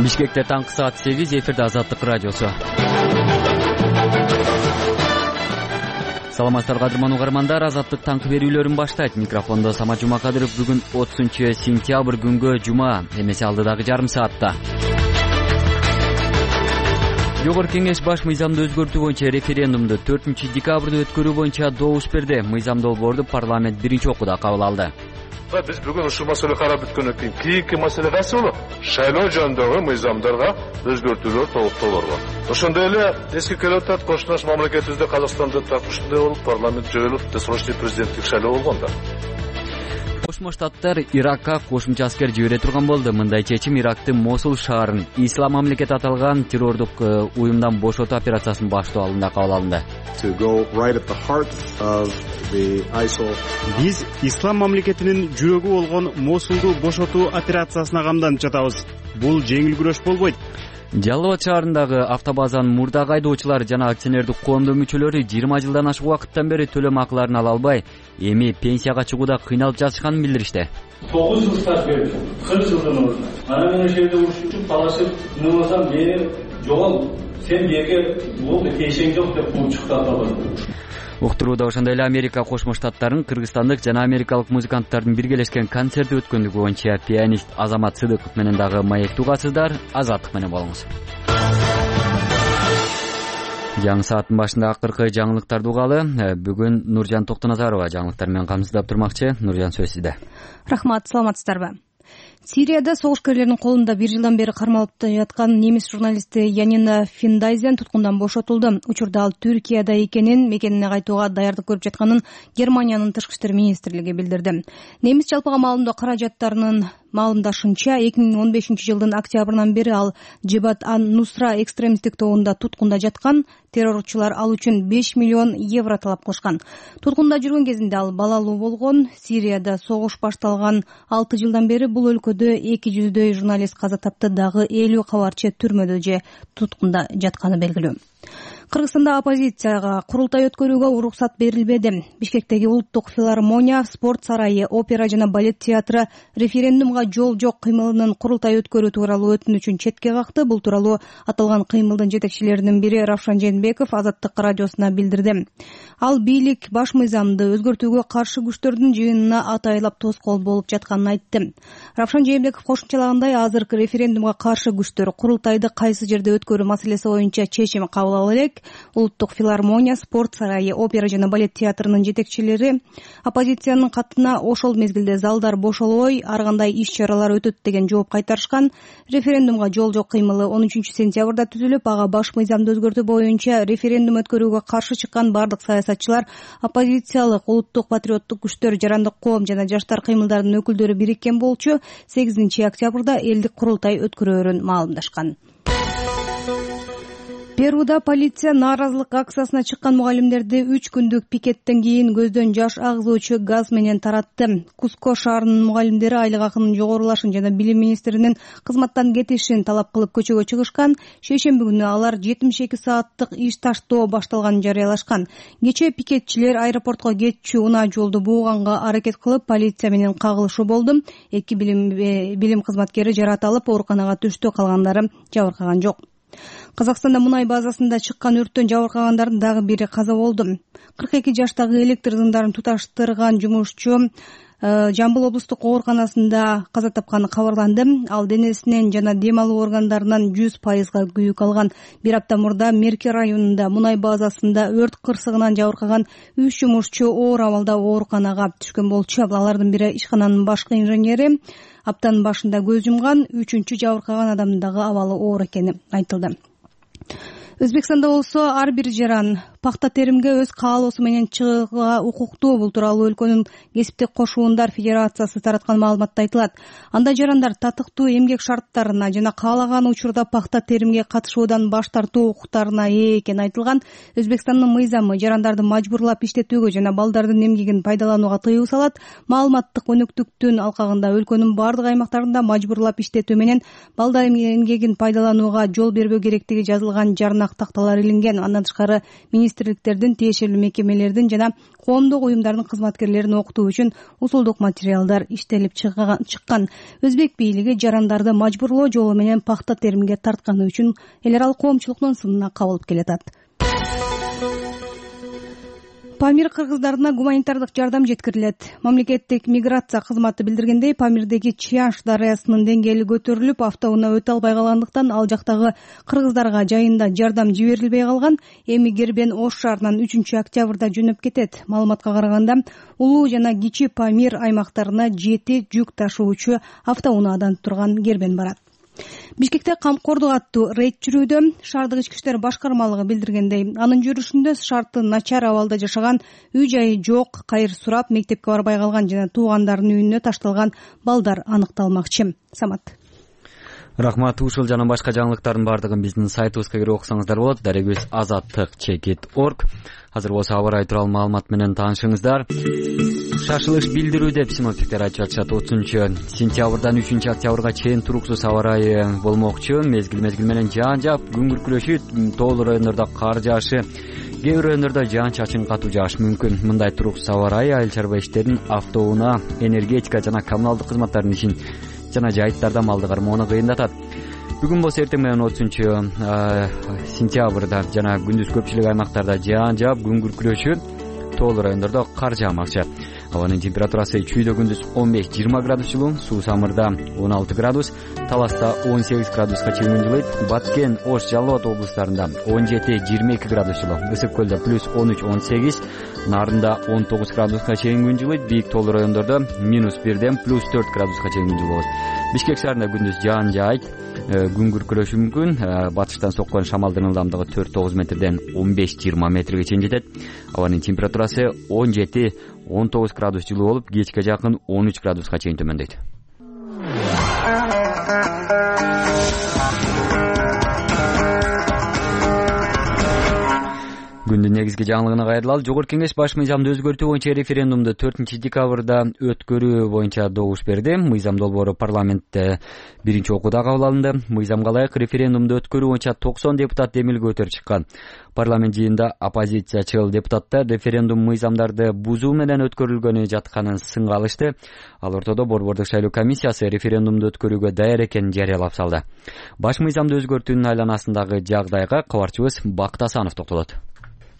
Бишкекте таңкы саат 8, эфирде Азаттык радиосу. Саламатсыздар кадырман угармандар, Азаттык таңкы берүүлөрүн баштайт. Микрофондо Самат Жумакадыров. Бүгүн 30-сентябрь күнгө жума, эмесе алдыдагы жарым саатта. Жогорку кеңеш баш мыйзамды өзгөртүү боюнча референдумду 4-декабрда өткөрүү боюнча добуш берди. Мыйзам долбоорду парламент биринчи окууда кабыл алды. Биз бүгүн ушул маселе карап бүткөндөн кийин кийинки маселе кайсы болот? Шайлоо жөнүндөгү мыйзамдарга өзгөртүүлөр, толуктоолорго. Ошондой эле эске келип атат, кошуна мамлекетибизде Казакстанда так ушундай болуп, парламент жойулуп, досрочный президенттик шайлоо болгон да. Кошмо Штаттар Иракка кошумча аскер жибере турган болду. Мындай чечим Ирактын Мосул шаарын Ислам мамлекети аталган террордук уюмдан бошотуу операциясынын баштоо алдында кабыл алынды. Биз Ислам мамлекетинин жүрөгү болгон Мосулду бошотуу операциясына камданып жатабыз. Бул жеңил күрөш болбойт. Жалал Абад шаарындагы автобазанын мурдагы айдоочулары жана акционердик коомдун мүчөлөрү 20 жылдан ашык убакыттан бери төлөм акыларын ала албай, эми пенсияга чыгууда кыйналып жатышканын билдиришти. 9 жыл стаж берди, 40 жылдан ордун. Ана менен жерде урушуп, талашып, мынасам мени жогол, сен жерге болду, тиешең жок деп кууп чыкты автобаздан. Уктурууда ошондой эле Америка Кошмо Штаттарын кыргызстандык жана америкалык музыканттардын биргелешкен концерти өткөндүгү боюнча пианист Азамат Сыдыков менен дагы маектүү угасыздар. Азаттык менен болуңуз. Жаңы сааттын башында акыркы жаңылыктарды угалы. Бүгүн Нуржан Токтоназарова жаңылыктар менен камсыздап турмакчы. Нуржан, сөз сизде. Рахмат, саламатсыздарбы? Сирияда согушкерлердин колунда 1 жылдан бери кармалып жаткан немис журналисти Янина Финдайзен туткундан бошотулду. Учурда ал Түркияда экенин, мекенине кайтууга даярдык көрүп жатканын Германиянын тышкы иштер министрлиги билдирди. Немис жалпыга маалымдоо каражаттарынын маалымдашынча 2015-жылдын октябрынан бери ал Джебат ан-Нусра экстремисттик тобунда туткунда жаткан. Террорчулар ал үчүн 5 миллион евро талап кылышкан. Туткунда жүргөн кезинде ал балалуу болгон. Сирияда согуш башталган 6 жылдан бери бул өлкөдө 200дөй журналист каза тапты, дагы 50 кабарчы түрмөдө же туткунда жатканы белгилүү. Кыргызстанда оппозицияга курултай өткөрүүгө уруксат берилбеди. Бишкектеги улуттук филармония, спорт сарайы, опера жана балет театры референдумга жол жок кыймылынын курултай өткөрүү тууралуу өтүнүчүн четке какты. Бул тууралуу аталган кыймылдын жетекчилеринин бири Равшан Жээнбеков Азаттык радиосуна билдирди. Ал бийлик баш мыйзамды өзгөртүүгө каршы күчтөрдүн жыйынына атайлап тоскоол болуп жатканын айтты. Равшан Жээнбеков кошумчалагандай, азыркы референдумга каршы күчтөр курултайды кайсы жерде өткөрүү маселеси боюнча чечим кабыл ала элек. Улуттук филармония, спорт сарайы, опера жана балет театрынын жетекчилери оппозициянын катына ошол мезгилде залдар бошолбой, ар кандай иш-чаралар өтөт деген жооп кайтарышкан. Референдумга жол жок кыймылы 13-сентябрда түзүлүп, ага баш мыйзамды өзгөртүү боюнча референдум өткөрүүгө каршы чыккан бардык саясатчылар, оппозициялык, улуттук патриоттук күчтөр, жарандык коом жана жаштар кыймылдарынын өкүлдөрү бириккен болчу 8-октябрда элдик курултай өткөрөөрүн маалымдашкан. Перуда полиция нааразылык акциясына чыккан мугалимдерди 3 күндүк пикеттен кийин көздөн жаш агызуучу газ менен таратты. Куско шаарынын мугалимдери айлык акынын жогорулашын жана билим министринин кызматтан кетишин талап кылып көчөгө чыгышкан. Шейшемби күнү алар 72 сааттык иш таштоо башталганын жарыялашкан. Кечээ пикетчилер аэропортко кетчү унаа жолду бууганга аракет кылып, полиция менен кагылышуу болду. 2 билим кызматкери жараат алып, ооруканага түштү, калгандары жабыркаган жок. Казакстанда мунай базасында чыккан өрттөн жабыркагандардын дагы бири каза болду. 42 жаштагы электр зымдарын туташтырган жумушчу Жамбыл облустук ооруканасында каза тапканы кабарланды. Ал денесинен жана дем алуу органдарынан 100% күйүк алган. Бир апта мурда Мерки районунда мунай базасында өрт кырсыгынан жабыркаган 3 жумушчу оор абалда ооруканага түшкөн болчу. Алардын бири ишкананын башкы инженери. Аптанын башында көз жумган, 3-чү жабыркаган адамдын дагы абалы оор экени айтылды. Өзбекстанда болсо ар бир жаран пахта теримге өз каалоосу менен чыгууга укуктуу. Бул тууралуу өлкөнүн кесиптик кошуундар федерациясы тараткан маалыматта айтылат. Анда жарандар татыктуу эмгек шарттарына жана каалаган учурда пахта теримге катышуудан баш тартуу укуктарына ээ экени айтылган. Өзбекстандын мыйзамы жарандарды мажбурлап иштетүүгө жана балдардын эмгегин пайдаланууга тыюу салат. Маалыматтык өнөктүктүн алкагында өлкөнүн бардык аймактарында мажбурлап иштетүү менен балдардын эмгегин пайдаланууга жол бербөө керектиги жазылган жарнак такталар илинген. Андан тышкары министр министрликтердин, тиешелүү мекемелердин жана коомдук уюмдардын кызматкерлерин окутуу үчүн усулдук материалдар иштелип чыккан. Өзбек бийлиги жарандарды мажбурлоо жолу менен пахта теримге тартканы үчүн эл аралык коомчулуктун сынына кабылып келатат. Памир кыргыздарына гуманитардык жардам жеткирилет. Мамлекеттик миграция кызматы билдиргендей, Памирдеги Чыяш дарыясынын деңгээли көтөрүлүп, автоунаа өтө албай калгандыктан ал жактагы кыргыздарга жайында жардам жиберилбей калган. Эми Гербен Ош шаарынан 3-октябрда жөнөп кетет. Маалыматка караганда, Улуу жана Кичи Памир аймактарына 7 жүк ташуучу автоунаадан турган Гербен барат. Бишкекте камкордук аттуу рейд жүрүүдө. Шаардык ички иштер башкармалыгы билдиргендей, анын жүрүшүндө шарты начар абалда жашаган, үй-жайы жок, кайыр сурап, мектепке барбай калган жана туугандарынын үйүнө ташталган балдар аныкталмакчы. Самат. Рахмат. Ушул жана башка жаңылыктардын бардыгын биздин сайтыбызга кирип окусаңыздар болот. Дарегибиз azattik.org. Азыр болсо аба ырайы тууралуу маалымат менен таанышыңыздар. Шашылыш билдирүү деп синоптиктер айтып жатышат. 30-сентябрдан 3-октябрга чейин туруксуз аба ырайы болмокчу. Мезгил менен жаан жаап, күн күркүрөшүп, тоолуу райондордо кар жаашы, кээ бир райондордо жаан-чачын катуу жаашы мүмкүн. Мындай туруксуз аба ырайы айыл чарба иштерин, автоунаа, энергетика жана коммуналдык кызматтардын ишин жана жайыттарда малды кармоону кыйындатат. Бүгүн болсо эртең менен 30-сентябрда жана күндүз көпчүлүк аймактарда жаан жаап, күн күркүрөшү, тоолуу райондордо кар жаамакчы. Абанын температурасы чүйдө күндүз 15-20 градус жылуу, Суу Самырда 16 градус, Таласта 18 градуска чейин жылыйт, Баткен, Ош, Жалал Абад облустарында 17-22 градус жылуу, Ысык көлдө плюс 13-18, Нарында 19 градуска чейин күн жылыйт, бийик тоолуу райондордо -1ден плюс 4 градуска чейин күн жылуу болот. Бишкек шаарында күндүз жаан жаайт, күн күркүрөшү мүмкүн. Батыштан соккон шамалдын ылдамдыгы 4-9 метрден 15-20 метрге чейин жетет. Абанын температурасы 17-19 градус жылуу болуп, кечке жакын 13 градуска чейин төмөндөйт. Күндүн негизги жаңылыгына кайрылалы. Жогорку Кеңеш баш мыйзамды өзгөртүү боюнча референдумду 4-декабрда өткөрүү боюнча добуш берди. Мыйзам долбоору парламентте биринчи окууда кабыл алынды. Мыйзамга ылайык референдумду өткөрүү боюнча 90 депутат демилге көтөрүп чыккан. Парламент жыйынында оппозициячыл депутаттар референдум мыйзамдарды бузуу менен өткөрүлгөнү жатканын сынга алышты. Ал ортодо Борбордук шайлоо комиссиясы референдумду өткөрүүгө даяр экенин жарыялап салды. Баш мыйзамды өзгөртүүнүн айланасындагы жагдайга кабарчыбыз Бакыт Асанов токтолот.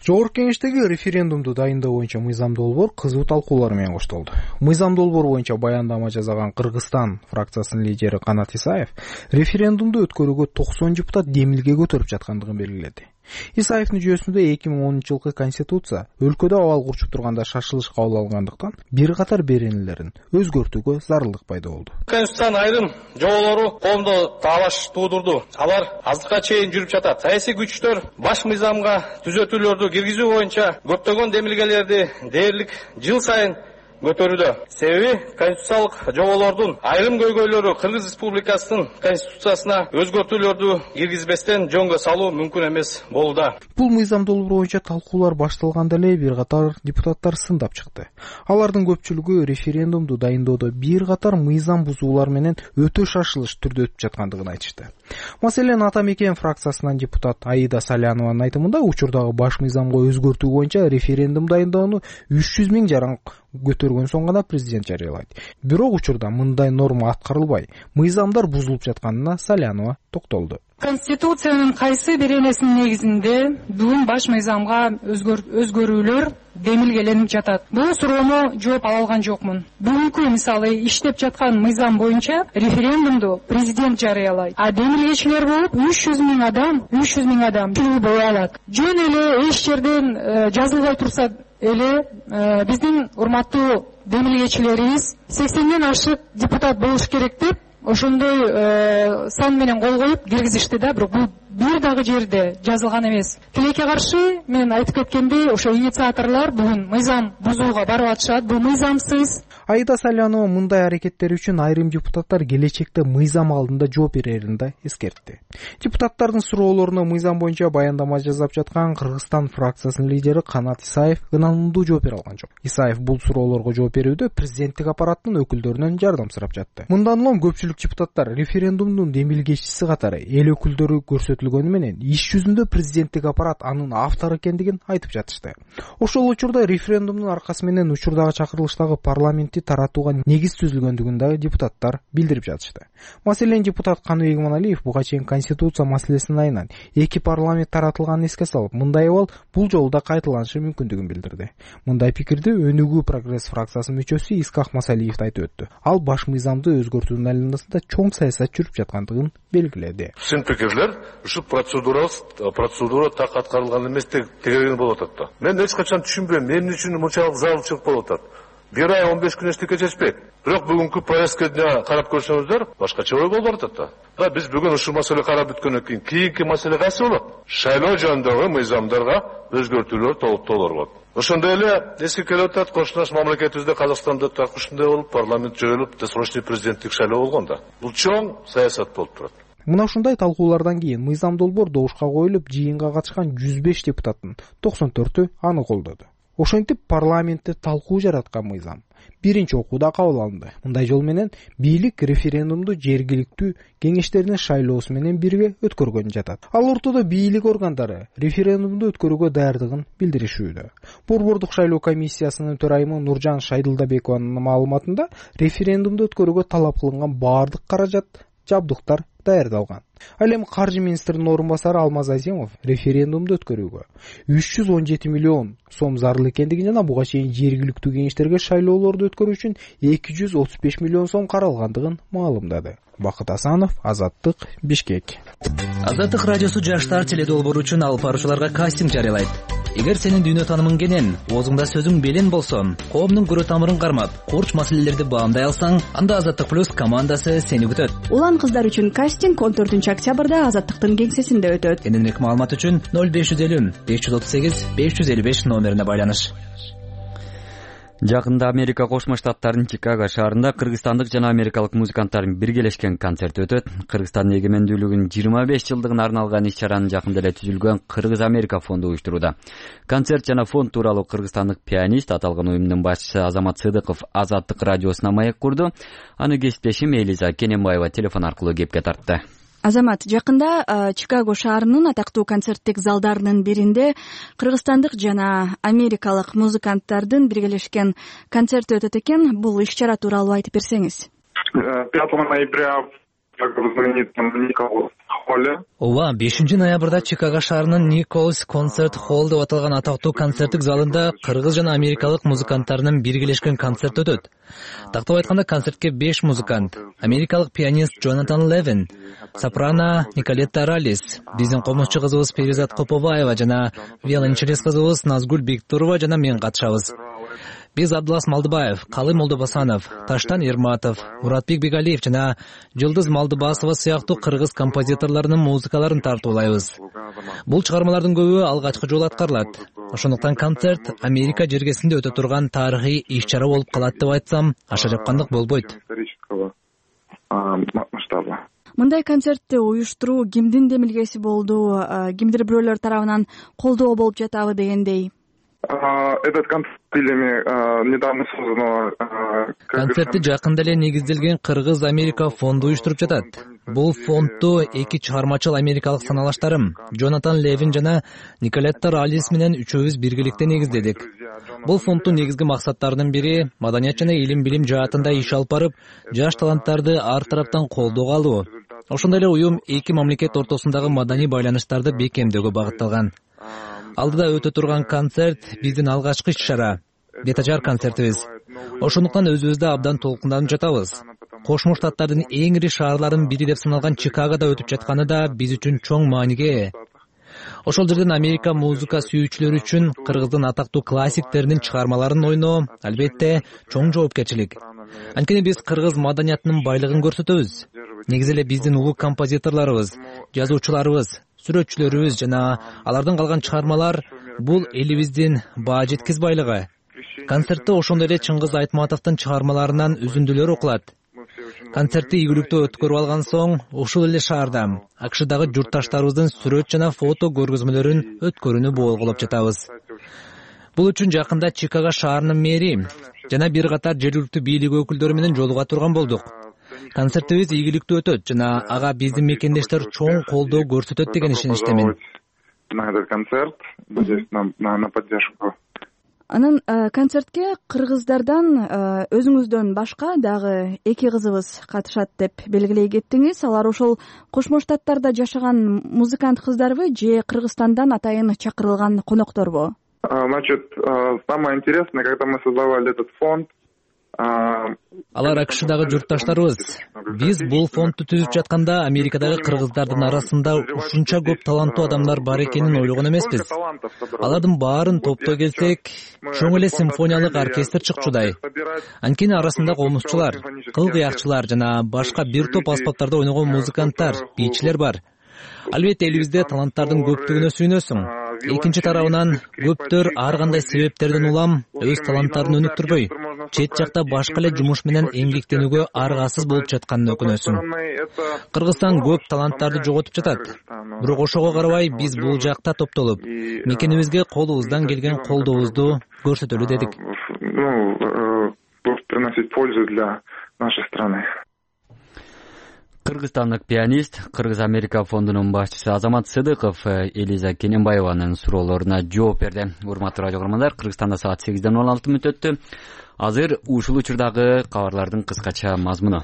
Жогорку Кеңештеги референдумду дайындоо боюнча мыйзам долбоор кызуу талкуулар менен коштолду. Мыйзам долбоор боюнча баяндама жасаган Кыргызстан фракциясынын лидери Канат Исаев референдумду өткөрүүгө 90 депутат демилге көтөрүп жаткандыгын белгиледи. Исаевдин жүйөсүндө 2010-жылкы конституция өлкөдө абал курчуп турганда шашылыш кабыл алгандыктан бир катар беренелерин өзгөртүүгө зарылдык пайда болду. Конституциянын айрым жоболору коомдо талаш туудурду. Алар азыркыга чейин жүрүп жатат. Саясий күчтөр баш мыйзамга түзөтүүлөрдү киргизүү боюнча көптөгөн демилгелерди дээрлик жыл сайын көтөрүүдө. Себеби конституциялык жоболордун айрым көйгөйлөрү Кыргыз Республикасынын конституциясына өзгөртүүлөрдү киргизбестен жөнгө салуу мүмкүн эмес болууда. Бул мыйзам долбоор боюнча талкуулар башталганда эле бир катар депутаттар сындап чыкты. Алардын көпчүлүгү референдумду дайындоодо бир катар мыйзам бузуулар менен өтө шашылыш түрдө өтүп жаткандыгын айтышты. Маселен, Ата Мекен фракциясынан депутат Аида Салянованын айтымында учурдагы баш мыйзамга өзгөртүү боюнча референдум дайындоону 300 000 жаран көтөргөн соң гана президент жарыялайт. Бирок учурда мындай норма аткарылбай, мыйзамдар бузулуп жатканына Салянова токтолду. Конституциянын кайсы беренесинин негизинде бүгүн баш мыйзамга өзгөрүүлөр демилгеленип жатат? Бул суроону жооп ала алган жокмун. Бүгүнкү мисалы иштеп жаткан мыйзам боюнча референдумду президент жарыялайт. А демилгечилер болуп 300 000 адам бою алат. Жөн эле эч жерден жазылбай турса эле биздин урматтуу демилгечилерибиз 80ден ашык депутат болуш керек деп ошондой сан менен кол коюп киргизишти да, бирок бул бир дагы жерде жазылган эмес. Тилекке каршы мен айтып кеткендей, ошо инициаторлор бүгүн мыйзам бузууга барып атышат. Бул мыйзамсыз. Аида Салянова мындай аракеттери үчүн айрым депутаттар келечекте мыйзам алдында жооп берерин да эскертти. Депутаттардын суроолоруна мыйзам боюнча баяндама жасап жаткан Кыргызстан фракциясынын лидери Канат Исаев ынандуу жооп бере алган жок. Исаев бул суроолорго жооп берүүдө президенттик аппараттын өкүлдөрүнөн жардам сурап жатты. Мындан улам көпчүлүк депутаттар референдумдун демилгечиси катары эл өкүлдөрү көрсөтүлгөн көрсөтүлгөнү менен иш жүзүндө президенттик аппарат анын автору экендигин айтып жатышты. Ошол учурда референдумдун аркасы менен учурдагы чакырылыштагы парламентти таратууга негиз түзүлгөндүгүн дагы депутаттар билдирип жатышты. Маселен, депутат Каныбек Иманалиев буга чейин конституция маселесинин айынан 2 парламент таратылганын эске салып, мындай абал бул жолу да кайталанышы мүмкүндүгүн билдирди. Мындай пикирди Өнүгүү прогресс фракциясынын мүчөсү Искак Масалиев айтып өттү. Ал баш мыйзамды өзгөртүүнүн айланасында чоң саясат жүрүп жаткандыгын белгиледи. Син пикирлер ушу процедура так аткарылган эмес деген болуп атат да. Мен эч качан түшүнбөйм, эмне үчүн мынчалык зарылчылык болуп атат. 1 ай 15 күн эчтеке чечпейт. Бирок бүгүнкү повестканы карап көрсөңүздөр, башкача ой болуп атат да. Биз бүгүн ушул маселе карап бүткөндөн кийин кийинки маселе кайсы болот? Шайлоо жөнүндөгү мыйзамдарга өзгөртүүлөр толуктоолор болот. Ошондой эле эске келип атат, кошуна мамлекетибизде Казакстанда так ушундай болуп, парламент жойулуп, досрочный президенттик шайлоо болгон да. Бул чоң саясат болуп турат. Мына ушундай талкуулардан кийин мыйзам долбоор добушка коюлуп, жыйынга катышкан 105 депутаттын 94-ü аны колдоду. Ошентип парламентте талкуу жараткан мыйзам биринчи окууда кабыл алынды. Мындай жол менен бийлик референдумду жергиликтүү кеңештердин шайлоосу менен бирге өткөргөн жатат. Ал ортодо бийлик органдары референдумду өткөрүүгө даярдыгын билдиришүүдө. Борбордук шайлоо комиссиясынын төрайымы Нуржан Шайдылдабекованын маалыматында референдумду өткөрүүгө талап кылынган баардык каражат, жабдыктар даярдалган. Ал эми каржы министринин орун басары Алмаз Азимов референдумду өткөрүүгө 317 миллион сом зарыл экендигин жана буга чейин жергиликтүү кеңештерге шайлоолорду өткөрүү үчүн 235 миллион сом каралгандыгын маалымдады. Бакыт Асанов, Азаттык, Бишкек. Азаттык радиосу жаштар теледолбоору үчүн алып баруучуларга кастинг жарыялайт. Эгер сенин дүйнө таанымың кенен, оозуңда сөзүң белен болсо, коомдун көрө тамырын кармап, курч маселелерди баамдай алсаң, анда Азаттык плюс командасы сени күтөт. Улан кыздар үчүн кастинг 14-октябрда Азаттыктын кеңсесинде өтөт. Кененирээк маалымат үчүн 0550 538 555 номерине байланыш. Жакында Америка Кошмо Штаттарынын Чикаго шаарында кыргызстандык жана америкалык музыканттардын биргелешкен концерти өтөт. Кыргызстандын эгемендүүлүгүнүн 25 жылдыгына арналган иш-чараны жакында эле түзүлгөн Кыргыз-Америка фонду уюштурууда. Концерт жана фонд тууралуу кыргызстандык пианист, аталган уюмдун башчысы Азамат Сыдыков Азаттык радиосуна маек курду. Аны кесиптешим Элиза Кененбаева телефон аркылуу кепке тартты. Азамат, жакында Чикаго шаарынын атактуу концерттик залдарынын биринде кыргызстандык жана америкалык музыканттардын биргелешкен концерти өтөт экен. Бул иш-чара тууралуу айтып берсеңиз. 5 ноября Ооба, 5 ноябрда Чикаго шаарынын Николс концерт холл деп аталган атактуу концерттик залында кыргыз жана америкалык музыканттарынын биргелешкен концерт өтөт. Тактап айтканда, концертке 5 музыкант: америкалык пианист Джонатан Левин, сопрано Николетта Ралис, биздин комузчу кызыбыз Перизат Коповаева жана виолончелист кызыбыз Назгүл Бектурова жана мен катышабыз. Биз Абдулас Малдыбаев, Калый Молдобасанов, Таштан Ерматов, Муратбек Бегалиев жана Жылдыз Малдыбасова сыяктуу кыргыз композиторлорунун музыкаларын тартуулайбыз. Бул чыгармалардын көбү алгачкы жолу аткарылат. Ошондуктан концерт Америка жергесинде өтө турган тарыхый иш-чара болуп калат деп айтсам, аша жапкандык болбойт. Мындай концертти уюштуруу кимдин демилгеси болду? Кимдир бирөөлөр тарабынан колдоо болуп жатабы дегендей? Этот концерт недавно создан. Концертти жакында эле негизделген Кыргыз-Америка фонду уюштуруп жатат. Бул фондду эки чыгармачыл америкалык саналаштарым Джонатан Левин жана Николетта Ралис менен үчөөбүз биргеликте негиздедик. Бул фонддун негизги максаттарынын бири маданият жана илим-билим жаатында иш алып барып, жаш таланттарды ар тараптан колдоого алуу. Ошондой эле уюм эки мамлекет ортосундагы маданий байланыштарды бекемдөөгө багытталган. Алдыда өтө турган концерт биздин алгачкы иш-чара, бет ачар концертибиз. Ошондуктан өзүбүздү абдан толкунданып жатабыз. Кошмо Штаттардын эң ири шаарларынын бири деп саналган Чикагода өтүп жатканы да биз үчүн чоң мааниге ээ. Ошол жерден Америка музыка сүйүүчүлөрү үчүн кыргыздын атактуу классиктеринин чыгармаларын ойноо албетте чоң жоопкерчилик. Анткени биз кыргыз маданиятынын байлыгын көрсөтөбүз. Негизи эле биздин улуу композиторлорубуз, жазуучуларыбыз, сүрөтчүлөрүбүз жана алардан калган чыгармалар бул элибиздин баа жеткиз байлыгы. Концертте ошондой эле Чыңгыз Айтматовдун чыгармаларынан үзүндүлөр окулат. Концертти ийгиликтүү өткөрүп алган соң, ушул эле шаарда АКШдагы журтташтарыбыздын сүрөт жана фото көргөзмөлөрүн өткөрүүнү боолголоп жатабыз. Бул үчүн жакында Чикаго шаарынын мэри жана бир катар жергиликтүү бийлик өкүлдөрү менен жолуга турган болдук. Концертибиз ийгиликтүү өтөт жана ага биздин мекендештер чоң колдоо көрсөтөт деген ишеничтемин. На этот концерт, надеюсь на поддержку. Анан концертке кыргыздардан өзүңүздөн башка дагы 2 кызыбыз катышат деп белгилей кеттиңиз. Алар ошол Кошмо Штаттарда жашаган музыкант кыздарбы же Кыргызстандан атайын чакырылган конокторбу? Значит, самое интересное, когда мы создавали этот фонд, алар АКШдагы журтташтарыбыз. Биз бул фондду түзүп жатканда Америкадагы кыргыздардын арасында ушунча көп таланттуу адамдар бар экенин ойлогон эмеспиз. Алардын баарын топтой келсек, чоң эле симфониялык оркестр чыкчудай. Анткени арасында комузчулар, кыл кыякчылар жана башка бир топ аспаптарда ойногон музыканттар, бийчилер бар. Албетте элибизде таланттардын көптүгүнө сүйүнөсүң. Экинчи тарабынан көптөр ар кандай себептерден улам өз таланттарын өнүктүрбөй, чет жакта башка эле жумуш менен эмгектенүүгө аргасыз болуп жатканына өкүнөсүң. Кыргызстан көп таланттарды жоготуп жатат. Бирок ошого карабай биз бул жакта топтолуп, мекенибизге колубуздан келген колдообузду көрсөтөлү дедик. Приносить пользу для нашей страны. Кыргызстандык пианист, Кыргыз-Америка фондунун башчысы Азамат Сыдыков Элиза Кененбаеванын суроолоруна жооп берди. Урматтуу радио көрөрмандар, Кыргызстанда саат 8:16 өттү. Азыр ушул учурдагы кабарлардын кыскача мазмуну.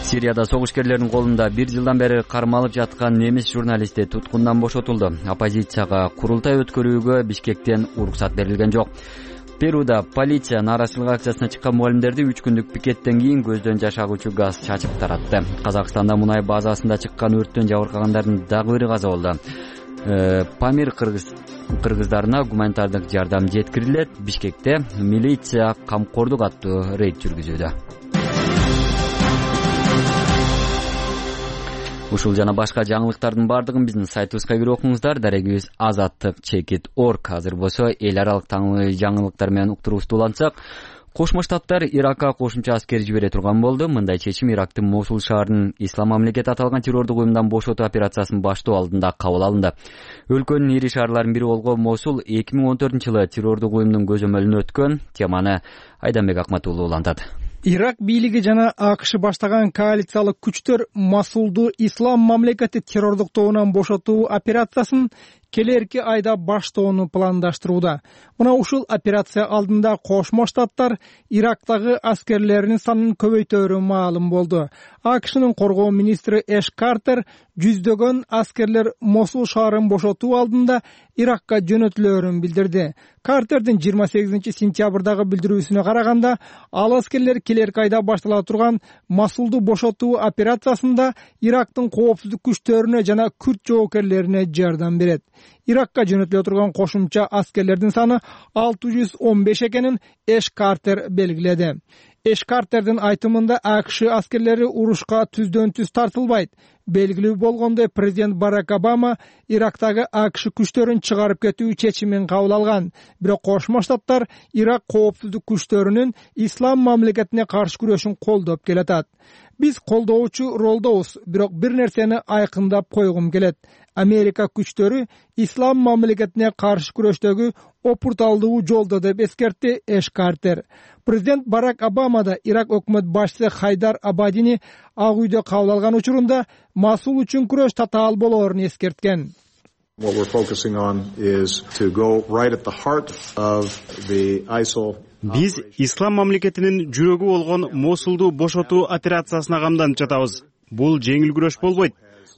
Сирияда согушкерлердин колунда 1 жылдан бери кармалып жаткан немис журналисти туткундан бошотулду. Оппозицияга курултай өткөрүүгө Бишкектен уруксат берилген жок. Перуда полиция нааразычылык акциясына чыккан мугалимдерди 3 күндүк пикеттен кийин көздөн жашагучу газ чачып таратты. Казакстанда мунай базасында чыккан өрттөн жабыркагандардын дагы бири каза болду. Памир кыргыздарына гуманитардык жардам жеткирилет. Бишкекте милиция камкордук аттуу рейд жүргүзүүдө. Ушул жана башка жаңылыктардын бардыгын биздин сайтыбызга кирип окуңуздар. Дарегибиз azattik.org. Азыр болсо эл аралык жаңылыктар менен уктуруубузду улантсак, Кошмо Штаттар Иракка кошумча аскер жибере турган болду. Мындай чечим Ирактын Мосул шаарынын Ислам мамлекети аталган террордук уюмдан бошотуу операциясын баштоо алдында кабыл алынды. Өлкөнүн ири шаарларынын бири болгон Мосул 2014-жылы террордук уюмдун көзөмөлүнө өткөн. Теманы Айданбек Акматуулу улантат. Ирак бийлиги жана АКШ баштаган коалициялык күчтөр Мосулду Ислам мамлекети террордук тобунан бошотуу операциясын келерки айда баштоону пландаштырууда. Мына ушул операция алдында Кошмо Штаттар Ирактагы аскерлеринин санын көбөйтөөрү маалым болду. АКШнын коргоо министри Эш Картер жүздөгөн аскерлер Мосул шаарын бошотуу алдында Иракка жөнөтүлөөрүн билдирди. Картердин 28-сентябрдагы билдирүүсүнө караганда, ал аскерлер келерки айда баштала турган Мосулду бошотуу операциясында Ирактын коопсуздук күчтөрүнө жана күрд жоокерлерине жардам берет. Иракка жөнөтүлө турган кошумча аскерлердин саны 615 экенин Эш Картер белгиледи. Эш Картердин айтымында АКШ аскерлери урушка түздөн-түз тартылбайт. Белгилүү болгондой, президент Барак Обама Ирактагы АКШ күчтөрүн чыгарып кетүү чечимин кабыл алган. Бирок Кошмо Штаттар Ирак коопсуздук күчтөрүнүн Ислам мамлекетине каршы күрөшүн колдоп келатат. Биз колдоочу ролдобуз, бирок бир нерсени айкындап койгум келет. Америка күчтөрү Ислам мамлекетине каршы күрөштөгү опурталдуу жолдо деп эскертти Эш Картер. Президент Барак Обама да Ирак өкмөт башчысы Хайдар Абадини Ак үйдө кабыл алган учурунда Мосул үчүн күрөш татаал болоорун эскерткен. Биз Ислам мамлекетинин жүрөгү болгон Мосулду бошотуу операциясына камданып жатабыз. Бул жеңил күрөш болбойт.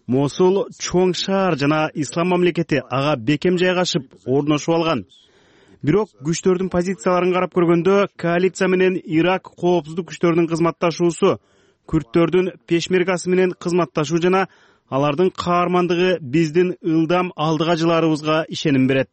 Мосул чоң шаар жана Ислам мамлекети ага бекем жайгашып, орношуп алган. Бирок күчтөрдүн позицияларын карап көргөндө, коалиция менен Ирак коопсуздук күчтөрүнүн кызматташуусу, күрдтөрдүн пешмергасы менен кызматташуу жана алардын каармандыгы биздин ылдам алдыга жылаарыбызга ишеним берет.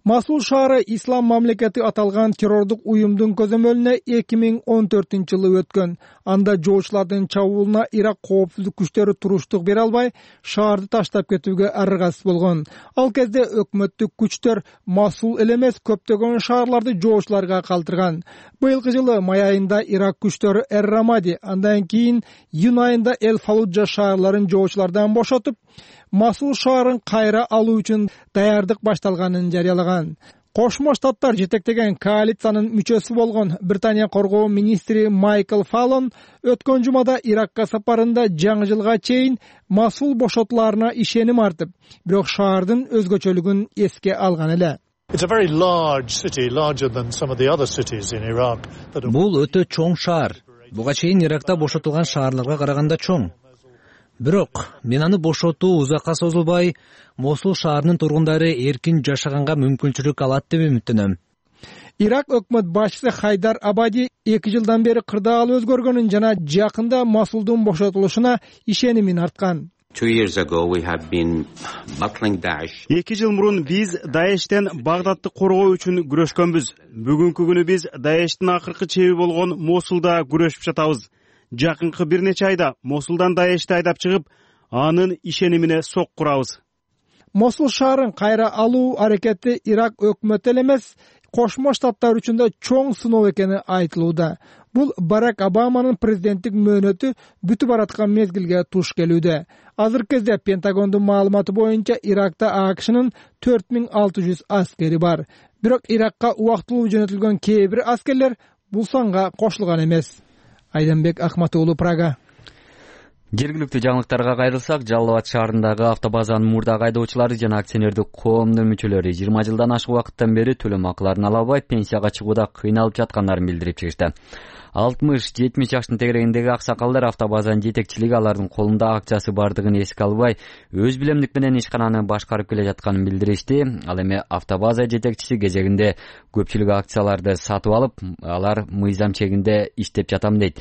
Мосул шаары Ислам мамлекети аталган террордук уюмдун көзөмөлүнө 2014-жылы өткөн. Анда жоочулардын чабуулуна Ирак коопсуздук күчтөрү туруштук бере албай, шаарды таштап кетүүгө аргасыз болгон. Ал кезде өкмөттүк күчтөр Мосул эле эмес көптөгөн шаарларды жоочуларга калтырган. Быйылкы жылы май айында Ирак күчтөрү Эр-Рамади, андан кийин июнь айында Эль-Фалуджа шаарларын жоочулардан бошотуп, Мосул шаарын кайра алуу үчүн даярдык башталганын жарыялаган. Кошмо Штаттар жетектеген коалициянын мүчөсү болгон Британия коргоо министри Майкл Фаллон өткөн жумада Иракка сапарында жаңы жылга чейин Масул бошотуларына ишеним артып, бирок шаардын өзгөчөлүгүн эске алган эле. Бул өтө чоң шаар. Буга чейин Иракта бошотулган шаарларга караганда чоң. Бирок мен аны бошотуу узакка созулбай, Мосул шаарынын тургундары эркин жашаганга мүмкүнчүлүк алат деп үмүттөнөм. Ирак өкмөт башчысы Хайдар Абади 2 жылдан бери кырдаал өзгөргөнүн жана жакында Масулдун бошотулушуна ишенимин арткан. 2 жыл мурун биз Даештен Багдадты коргоо үчүн күрөшкөнбүз. Бүгүнкү күнү биз Даештин акыркы чеби болгон Мосулда күрөшүп жатабыз. Жакынкы бир нече айда Мосулдан Даешти айдап чыгып, анын ишенимине сок курабыз. Мосул шаарын кайра алуу аракети Ирак өкмөтү эле эмес, Кошмо Штаттар үчүн да чоң сыноо экени айтылууда. Бул Барак Обаманын президенттик мөөнөтү бүтүп бараткан мезгилге туш келүүдө. Азыркы кезде Пентагондун маалыматы боюнча Иракта АКШнын 4600 аскери бар. Бирок Иракка убактылуу жөнөтүлгөн кээ бир аскерлер бул санга кошулган эмес. Айданбек Ахмат уулу, Прага. Жергиликтүү жаңылыктарга кайрылсак, Жалал Абад шаарындагы автобазанын мурдагы айдоочулары жана акционердик коомдун мүчөлөрү 20 жылдан ашык убакыттан бери төлөм акыларын ала албай, пенсияга чыгууда кыйналып жаткандарын билдирип чыгышты. 60-70 жаштын тегерегиндеги аксакалдар автобазанын жетекчилиги алардын колунда акчасы бардыгын эске албай, өз билемдик менен ишкананы башкарып келе жатканын билдиришти. Ал эми автобаза жетекчиси кезегинде көпчүлүк акцияларды сатып алып, алар мыйзам чегинде иштеп жатам дейт.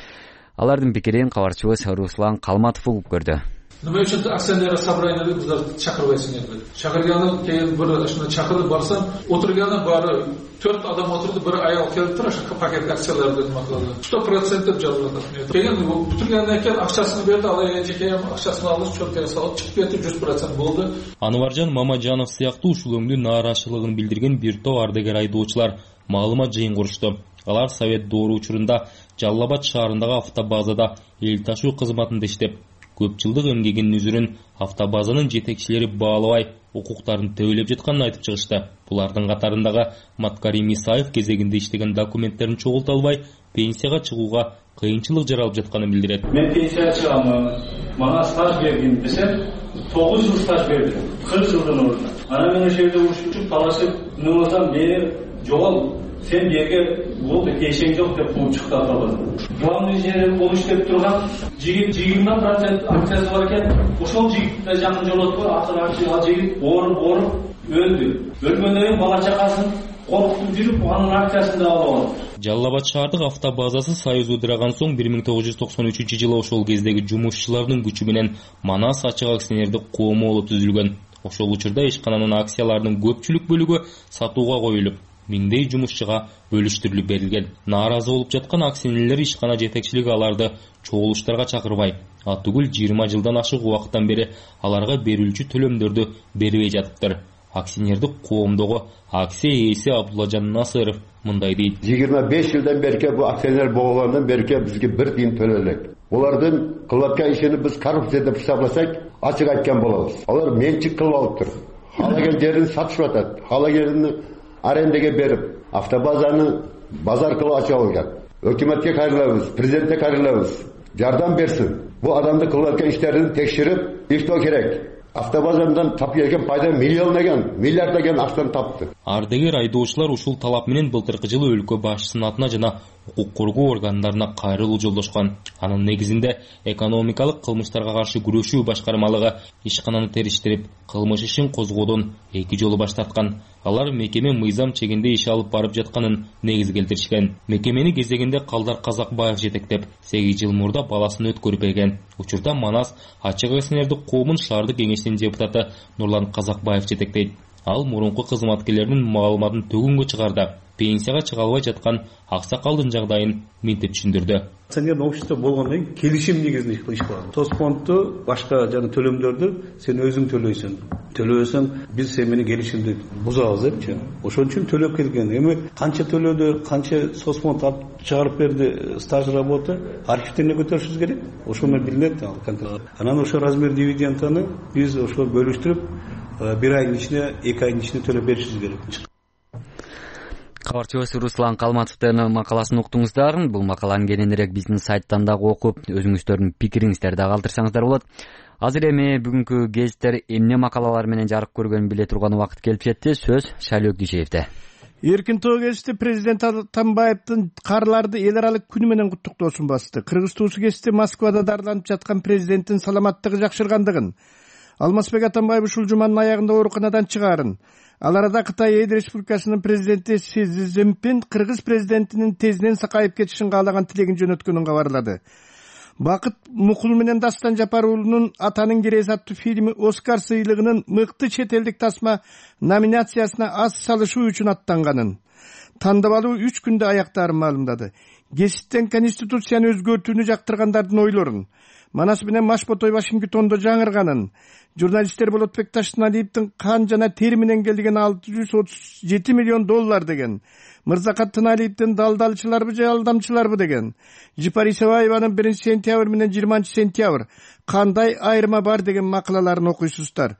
Алардын пикирин кабарчыбыз Руслан Калматов угуп көрдү. Nima uchun aksioner собраниеге bizlar chaqirmaysiz dedi. Chaqirgani keyin bir shuni chaqirib borsam, o'tirgani bari 4 odam o'tirdi, bir ayol kelib turib, shu paket aksiyalarni nima qiladi. 100% deb yoziladi. Keyin butirgandan keyin акчасын berdi, алайча ham акчасын алып, cho'ntagiga solib chiqib ketdi, 100% bo'ldi. Анваржан Мамажанов сыяктуу ушул өңдү нааразычылыгын билдирген бир топ ардагер айдоочулар маалымат жыйын курушту. Алар Совет доору учурунда Жалал Абад шаарындагы автобазада эл ташуу кызматында иштеп, көп жылдык эмгегинин үзүрүн автобазанын жетекчилери баалабай, укуктарын төөлөп жатканын айтып чыгышты. Булардын катарындагы Маткарим Исаев кезегинде иштеген документтерин чогулта албай, пенсияга чыгууга кыйынчылык жаралып жатканын билдирет. Мен пенсияга чыгамын, мага стаж бергин десем, 9 жыл стаж берди. 40 жылдын ордуна. Ана мен ошол жерде урушуп, талашып, нымасам мени жогол, сен берге болду, кешең жок деп кууп чыкты атабыз. Главный инженер болуп иштеп турган жигит 20% акциясы бар экен. Ошол жигитте жакын жолоткон ал жигит ооруп өлдү. Өлгөндөн кийин бала чакасын коркутуп жүрүп, анын акциясын да алып алды. Жалал Абад шаардык автобазасы союз ыдыраган соң 1993-жылы ошол кездеги жумушчулардын күчү менен Манас ачык акционердик коому болуп түзүлгөн. Ошол учурда ишкананын акцияларынын көпчүлүк бөлүгү сатууга коюлуп, миңдей жумушчуга бөлүштүрүлүп берилген. Нааразы болуп жаткан акционерлер ишкана жетекчилиги аларды чогулуштарга чакырбай, түгүл 20 жылдан ашык убакыттан бери аларга берилүүчү төлөмдөрдү бербей жатыптыр. Акционердик коомдогу акция ээси Абдуллажан Насыров мындай дейт. 25 жылдан бери бу акционер болгондон бери бизге бир тиын төлөлөт. Олардын кылып аткан ишини биз коррупция деп хисапласак, ачык айткан болобуз. Алар менчик кылып алыптыр. Халаган жерин сатышып атат. Халаган арендеге берип, автобазаны базар кылып ачып алган. Өкмөткө кайрылабыз, президентке кайрылабыз. Жардам берсин. Бу адамды кылып аткан иштерин текширип, иштөө керек. Автобазадан тап келген пайда миллиарддаган акчаны тапты. Ардагер айдоочулар ушул талап менен былтыркы жылы өлкө башчысынын атына жана укук коргоо органдарына кайрылуу жолдошкон. Анын негизинде экономикалык кылмыштарга каршы күрөшүү башкармалыгы ишкананы териштирип, кылмыш ишин козгоодон 2 жолу баш тарткан. Алар мекеме мыйзам чегинде иш алып барып жатканын негиз келтиришкен. Мекемени кезегинде Калдар Казакбаев жетектеп, 8 жыл мурда баласын өткөрүп берген. Учурда Манас ачык акционердик коомун шаардык кеңешинин депутаты Нурлан Казакбаев жетектейт. Ал мурунку кызматкерлеринин маалыматын төгүнгө чыгарды. Пенсияга чыга албай жаткан аксакалдын жагдайын мынтип түшүндүрдү. Акционердик общество болгондон кийин келишим негизинде иш кылат. Соцфондду, башка жана төлөмдөрдү сен өзүң төлөйсүң. Төлөбөсөң биз сен менен келишимди бузабыз депчи. Ошон үчүн төлөп келген. Эми канча төлөдү, канча соцфонд чыгарып берди, стаж работа архивтерине көтөрүшүбүз керек. Ошол менен билинет конкретно. Анан ошо размер дивиденданы биз ошо бөлүштүрүп, 1 айдын ичинде, 2 айдын ичинде төлөп беришибиз керек. Кабарчыбыз Руслан Калматовдун макаласын уктуңуздар. Бул макаланы кененирээк биздин сайттан дагы окуп, өзүңүздөрдүн пикириңиздерди дагы калтырсаңыздар болот. Азыр эми бүгүнкү гезиттер эмне макалалар менен жарык көргөнүн биле турган убакыт келип жетти. Сөз Шайлоо Дүйшеевде. Эркин тоо гезити президент Атамбаевдин карларды эл аралык күнү менен куттуктоосун басты. Кыргыз туусу гезити Москвада дарыланып жаткан президенттин саламаттыгы жакшыргандыгын, Алмазбек Атамбаев ушул жуманын аягында ооруканадан чыгаарын, ал арада Кытай Эл Республикасынын президенти Си Цзиньпин Кыргыз президентинин тезинен сакайып кетишин каалаган тилегин жөнөткөнүн кабарлады. Бакыт Мукул менен Дастан Жапарулунун Атанын керези аттуу фильми Оскар сыйлыгынын мыкты чет элдик тасма номинациясына аз салышуу үчүн аттанганын, тандап алуу 3 күндө аяктаарын маалымдады. Гезиттен Конституцияны өзгөртүүнү жактыргандардын ойлорун, Манас менен Машботой Вашингтондо жаңырганын, журналисттер Болотбек Таштыналиевдин кан жана тери менен келген $637 миллион деген, Мырзакат Тыналиевдин далдалчыларбы же алдамчыларбы деген, Жипар Исабаеванын 1-сентябрь менен 20-сентябрь кандай айырма бар деген макалаларын окуйсуздар.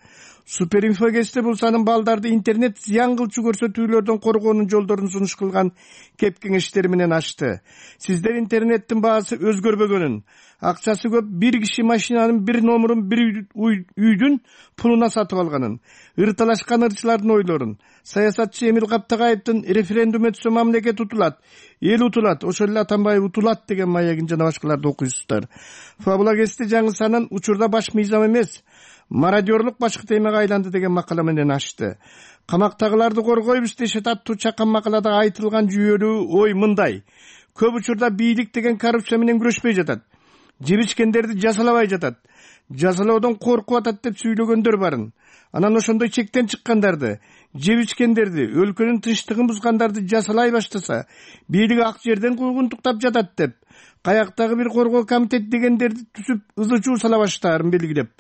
Суперинфо гезити бул санын балдарды интернет зыян кылчу көрсөтүүлөрдөн коргоонун жолдорун сунуш кылган кеп кеңештери менен ачты. Сиздер интернеттин баасы өзгөрбөгөнүн, акчасы көп бир киши машинанын бир номерун бир үйдүн пулуна сатып алганын, ырталашкан ырчылардын ойлорун, саясатчы Эмил Каптагаевдин референдум өтсө мамлекет утулат, эл утулат, ошол эле Атамбаев утулат деген маягин жана башкаларды окуйсуздар. Фабула гезити жаңы санын учурда баш мыйзам эмес, мародерлук башкы темага айланды деген макала менен ачты. Камактагыларды коргойбуз дешет аттуу чакан макалада айтылган жүйөлүү ой мындай: көп учурда бийлик деген коррупция менен күрөшпөй жатат, жебишкендерди жазалабай жатат, жазалоодон коркуп атат деп сүйлөгөндөр барын. Анан ошондой чектен чыккандарды, жебишкендерди, өлкөнүн тынчтыгын бузгандарды жазалай баштаса, бийлик ак жерден куугунтуктап жатат деп, каяктагы бир коргоо комитет дегендерди түзүп ызы-чуу сала баштаарын белгилеп,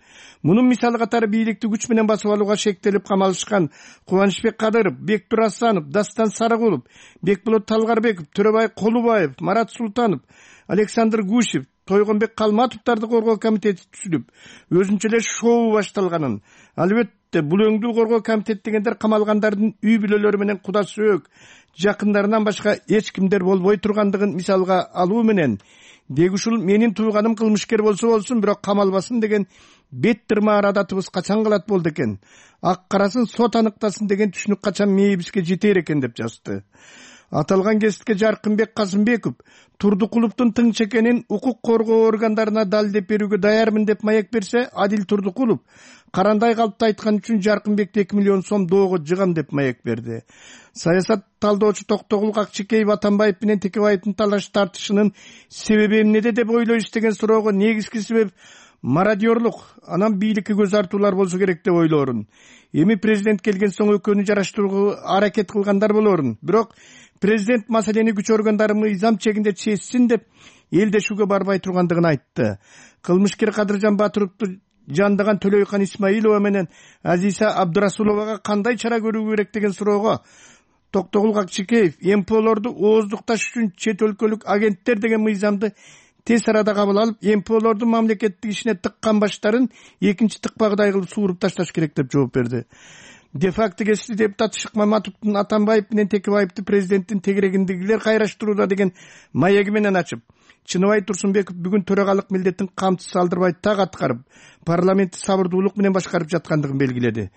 мунун мисалы катары бийликти күч менен басып алууга шектелип камалышкан Кубанычбек Кадыров, Бектур Асанов, Дастан Сарыгулов, Бекболот Талгарбеков, Төрөбай Колубаев, Марат Султанов, Александр Гусев, Тойгонбек Калматовдарды коргоо комитети түзүлүп, өзүнчө эле шоу башталганын, албетте бул өңдүү коргоо комитет дегендер камалгандардын үй бүлөлөрү менен куда сөөк, жакындарынан башка эч кимдер болбой тургандыгын мисалга алуу менен, деги ушул менин тууганым кылмышкер болсо болсун, бирок камалбасын деген бет тырмаар адатыбыз качан калат болду экен, ак карасын сот аныктасын деген түшүнүк качан мээбизге жетер экен деп жазды. Аталган гезитке Жаркынбек Казымбеков Турдукуловдун тың чекенин укук коргоо органдарына далилдеп берүүгө даярмын деп маек берсе, Адил Турдукулов карандай калпты айткан үчүн Жаркынбекти 2 миллион сом доого жыгам деп маек берди. Саясат талдоочу Токтогул Акчекеев Атамбаев менен Текебаевдин талаш тартышынын себеби эмнеде деп ойлойбуз деген суроого негизги себеп мародерлук, анан бийликке көз артуулар болсо керек деп ойлоорун. Эми президент келген соң экөөнү жараштырууга аракет кылгандар болоорун. Бирок президент маселени күч органдары мыйзам чегинде чечсин деп элдешүүгө барбай тургандыгын айтты. Кылмышкер Кадыржан Батыровду жандаган Төлөйкан Исмаилова менен Азиса Абдырасуловага кандай чара көрүү керек деген суроого Токтогул Акчекеев МПОлорду ооздукташ үчүн чет өлкөлүк агенттер деген мыйзамды тез арада кабыл алып, МПОлордун мамлекеттик ишине тыккан баштарын экинчи тыкпагыдай кылып сууруп ташташ керек деп жооп берди. Де-факто гезити депутат Шык Маматовдун Атамбаев менен Текебаевди президенттин тегерегиндегилер кайраштырууда деген маеги менен ачып, Чыныбай Турсунбеков бүгүн төрагалык милдеттин камсыз алдырбай так аткарып, парламентти сабырдуулук менен башкарып жаткандыгын белгиледи.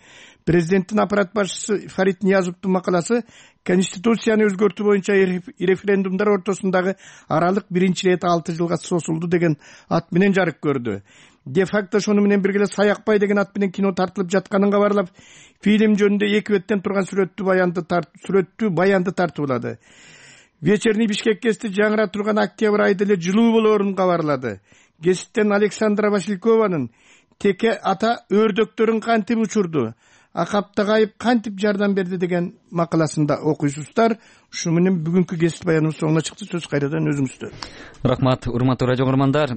Президенттин аппарат башчысы Фарид Ниязовдун макаласы Конституцияны өзгөртүү боюнча референдумдар ортосундагы аралык биринчи рет 6 жылга созулду деген ат менен жарык көрдү. Де-факто шону менен бирге Саякбай деген ат менен кино тартылып жатканын кабарлап, фильм жөнүндө 2 беттен турган сүрөттүү баянды тартуулады. Вечерний Бишкек гезити жаңыра турган октябрь айда эле жылуу болоорун кабарлады. Гезиттен Александра Василькованын Теке ата өрдөктөрүн кантип учурду, Акаптагаев кантип жардам берди деген макаласында окуйсуздар. Ушу менен бүгүнкү гезит баяныбыз соңуна чыкты. Сөз кайрадан өзүңүздө. Рахмат, урматтуу радио көрөрмандар.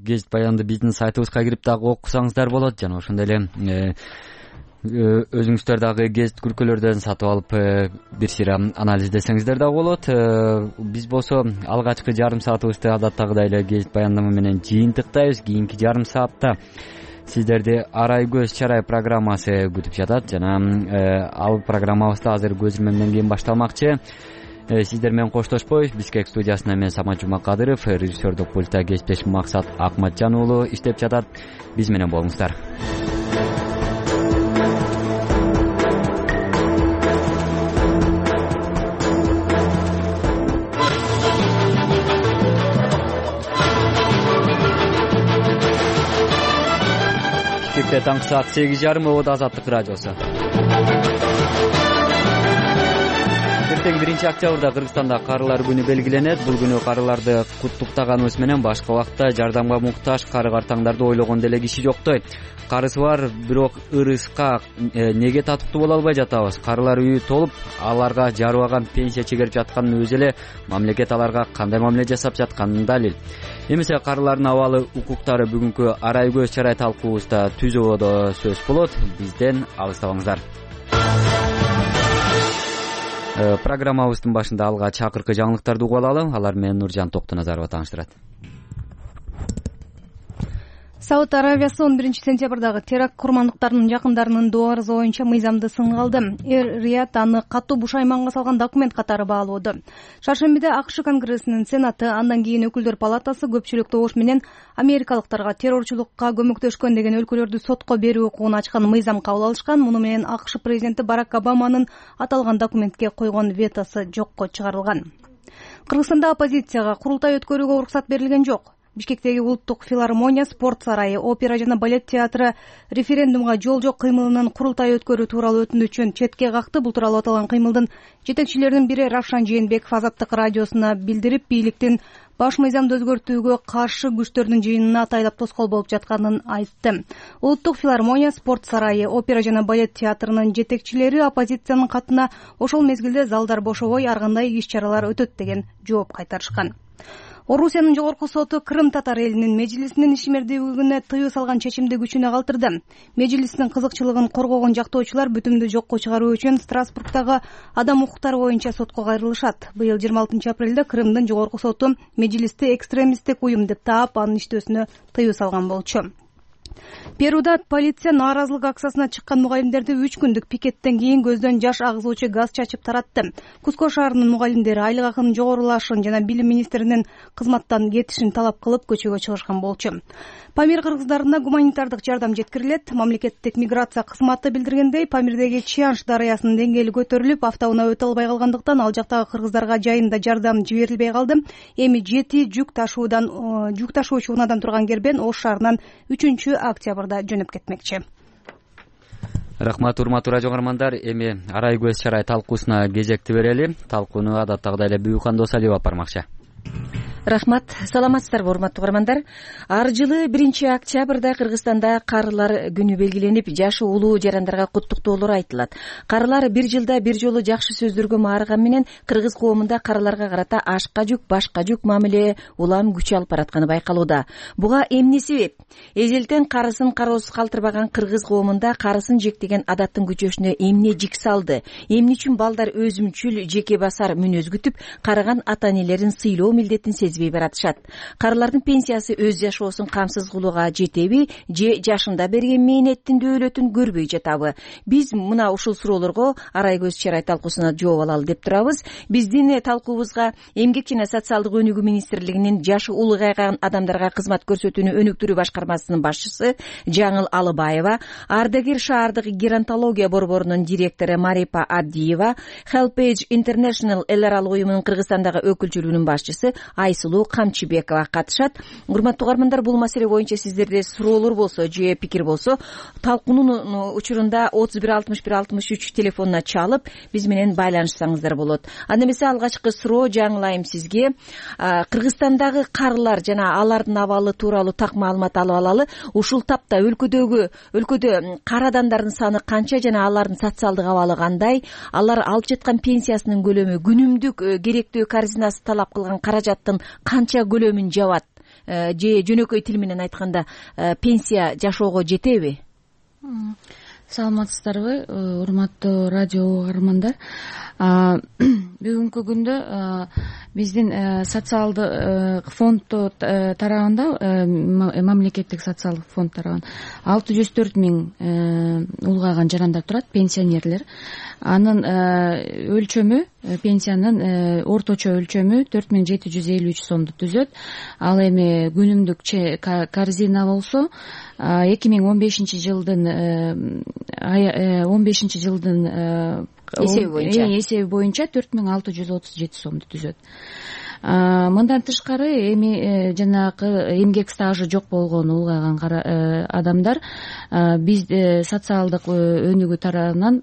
Гезит баянды биздин сайтыбызга кирип дагы окусаңыздар болот. Жана ошондой эле өзүңүздөр дагы гезит күркөлөрдөн сатып алып бир сыйра анализдесеңиздер дагы болот. Биз болсо алгачкы жарым саатыбызды адаттагыдай эле гезит баяндама менен жыйынтыктайбыз. Кийинки жарым саатта сиздерди Арай көз чарай программасы күтүп жатат жана ал программабыз да азыр көзүрмөмдөн кийин башталмакчы. Сиздер менен коштошпой Бишкек студиясында мен Самат Жумакадыров, режиссердук пультта кесиптеш Максат Акматжан уулу иштеп жатат. Биз менен болуңуздар. Бишкекте таңкы саат 8:30 Обод Азаттык радиосу. Эртең 1-октябрда Кыргызстанда карылар күнү белгиленет. Бул күнү карыларды куттуктаганыбыз менен башка убакта жардамга муктаж кары картаңдарды ойлогон деле киши жоктой. Карысы бар, бирок ырыска неге татыктуу боло албай жатабыз? Карылар үйү толуп, аларга жарыбаган пенсия чегерип жатканын өзү эле мамлекет аларга кандай мамиле жасап жатканын далил. Эмесе карылардын абалы, укуктары бүгүнкү Арай көз чарай талкуубузда түзөбодо сөз болот. Бизден алыстабаңыздар. Программабыздын башында алга чакыркы жаңылыктарды угуп алалы. Алар менен Нуржан Токтоназарова тааныштырат. Сауд Аравиясы 11 сентябрдагы теракт курмандыктарынын жакындарынын доо арызы боюнча мыйзамды сынга алды. Эр-Рият аны катуу бушайманга салган документ катары баалоодо. Шаршембиде АКШ Конгрессинин Сенаты, андан кийин Өкүлдөр палатасы көпчүлүк добуш менен америкалыктарга террорчулукка көмөктөшкөн деген өлкөлөрдү сотко берүү укугун ачкан мыйзам кабыл алышкан. Муну менен АКШ президенти Барак Обаманын аталган документке койгон ветосу жокко чыгарылган. Кыргызстанда оппозицияга курултай өткөрүүгө уруксат берилген жок. Бишкектеги улуттук филармония, спорт сарайы, опера жана балет театры референдумга жол жок кыймылынын курултай өткөрүү тууралуу өтүнүчүн четке какты. Бул тууралуу аталган кыймылдын жетекчилеринин бири Равшан Жээнбеков Азаттык радиосуна билдирип, бийликтин баш мыйзамды өзгөртүүгө каршы күчтөрдүн жыйынына атайлап тоскоол болуп жатканын айтты. Улуттук филармония, спорт сарайы, опера жана балет театрынын жетекчилери оппозициянын катына ошол мезгилде залдар бошобой ар кандай иш-чаралар өтөт деген жооп кайтарышкан. Орусиянын жогорку соту Крым татар элинин межлисинин ишмердүүлүгүнө тыюу салган чечимди күчүнө калтырды. Межлистин кызыкчылыгын коргогон жактоочулар бүтүмдү жокко чыгаруу үчүн Страсбургдагы адам укуктары боюнча сотко кайрылышат. Быйыл 26 апрелде Крымдын жогорку соту межлисти экстремисттик уюм деп таап, анын иштөөсүнө тыюу салган болчу. Перуда полиция нааразылык акциясына чыккан мугалимдерди 3 күндүк пикеттен кийин көздөн жаш агызуучу газ чачып таратты. Куско шаарынын мугалимдери айлык акынын жогорулашын жана билим министринин кызматтан кетишин талап кылып көчөгө чыгышкан болчу. Памир кыргыздарына гуманитардык жардам жеткирилет. Мамлекеттик миграция кызматы билдиргендей, Памирдеги Чианш дарыясынын деңгээли көтөрүлүп, автоунаа өтө албай калгандыктан ал жактагы кыргыздарга жайында жардам жиберилбей калды. Эми 7 жүк ташуучу унаадан турган кербен Ош шаарынан 3-октябрда жөнөп кетмекчи. Рахмат, урматтуу радио каармандар. Эми Арай көз чарай талкуусуна кезекти берели. Талкууну адаттагыдай эле Бүйүкхан Досалиева алып бармакчы. Рахмат, саламатсыздарбы урматтуу каармандар. Ар жылы 1-октябрда Кыргызстанда карылар күнү белгиленип, жашы улуу жарандарга куттуктоолор айтылат. Карылар бир жылда бир жолу жакшы сөздөргө маарыган менен кыргыз коомунда карыларга карата ашка жүк, башка жүк мамиле улам күч алып баратканы байкалууда. Буга эмне себеп? Эзелтен карысын кароосуз калтырбаган кыргыз коомунда карысын жектеген адаттын күчөшүнө эмне жик салды? Эмне үчүн балдар өзүмчүл, жеке басар мүнөз күтүп, карыган ата-энелерин сыйлоо милдетин сезбей баратышат? Карылардын пенсиясы өз жашоосун камсыз кылууга жетеби, же жашында берген мээнеттин дөөлөтүн көрбөй жатабы? Биз мына ушул суроолорго Арай көз чарай талкуусуна жооп алалы деп турабыз. Биздин талкуубузга Эмгек жана социалдык өнүгүү министрлигинин жашы улгайган адамдарга кызмат көрсөтүүнү өнүктүрүү башкармасынын башчысы Жаңыл Алыбаева, Ардагер шаардык геронтология борборунун директору Марипа Аддиева, Helpage International эл аралык уюмунун Кыргызстандагы өкүлчүлүгүнүн башчысы Айсулуу Камчыбекова катышат. Урматтуу каармандар, бул маселе боюнча сиздерде суроолор болсо же пикир болсо, талкуунун учурунда 31 61 63 телефонуна чалып, биз менен байланышсаңыздар болот. Анда эмесе алгачкы суроо жаңылайым сизге. Кыргызстандагы карылар жана алардын абалы тууралуу так маалымат алып алалы. Ушул тапта өлкөдө кара адамдардын саны канча жана алардын социалдык абалы кандай? Алар алып жаткан пенсиясынын көлөмү күнүмдүк керектүү корзинасы талап кылган каражаттын канча көлөмүн жабат? Же жөнөкөй тил менен айтканда пенсия жашоого жетеби? Саламатсыздарбы, урматтуу радио каармандар. Бүгүнкү күндө биздин социалдык фонд тарабында мамлекеттик социалдык фонд тарабынан 604 000 улгайган жарандар турат, пенсионерлер. Анын өлчөмү, пенсиянын орточо өлчөмү 4753 сомду түзөт. Ал эми күнүмдүк корзина болсо 2015 жылдын эсеби боюнча 4637 сомду түзөт. Мындан тышкары эми жанагы эмгек стажы жок болгон улгайган адамдар биз социалдык өнүгүү тарабынан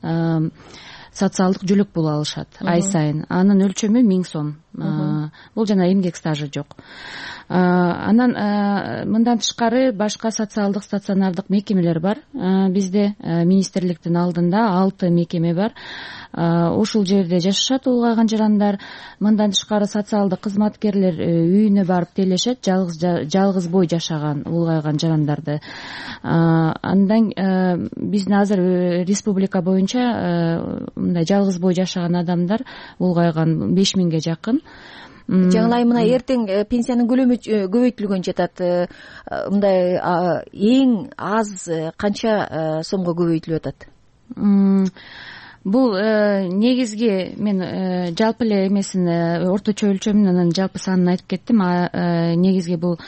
социалдык жөлөк пул алышат ай сайын. Анын өлчөмү 1000 сом. Бул жана эмгек стажы жок. Анан мындан тышкары башка социалдык стационардык мекемелер бар. Бизде министрликтин алдында 6 мекеме бар. Ушул жерде жашашат улгайган жарандар. Мындан тышкары социалдык кызматкерлер үйүнө барып телешет жалгыз бой жашаган улгайган жарандарды. Андан биздин азыр республика боюнча мындай жалгыз бой жашаган адамдар улгайган 5000ге жакын. Жаңылай, мына эртең пенсиянын көлөмү көбөйтүлгөн жатат. Мындай эң аз канча сомго көбөйтүлүп атат? Бул негизги мен жалпы эле эмесин орточо өлчөмүн анан жалпы санын айтып кеттим. Негизги бул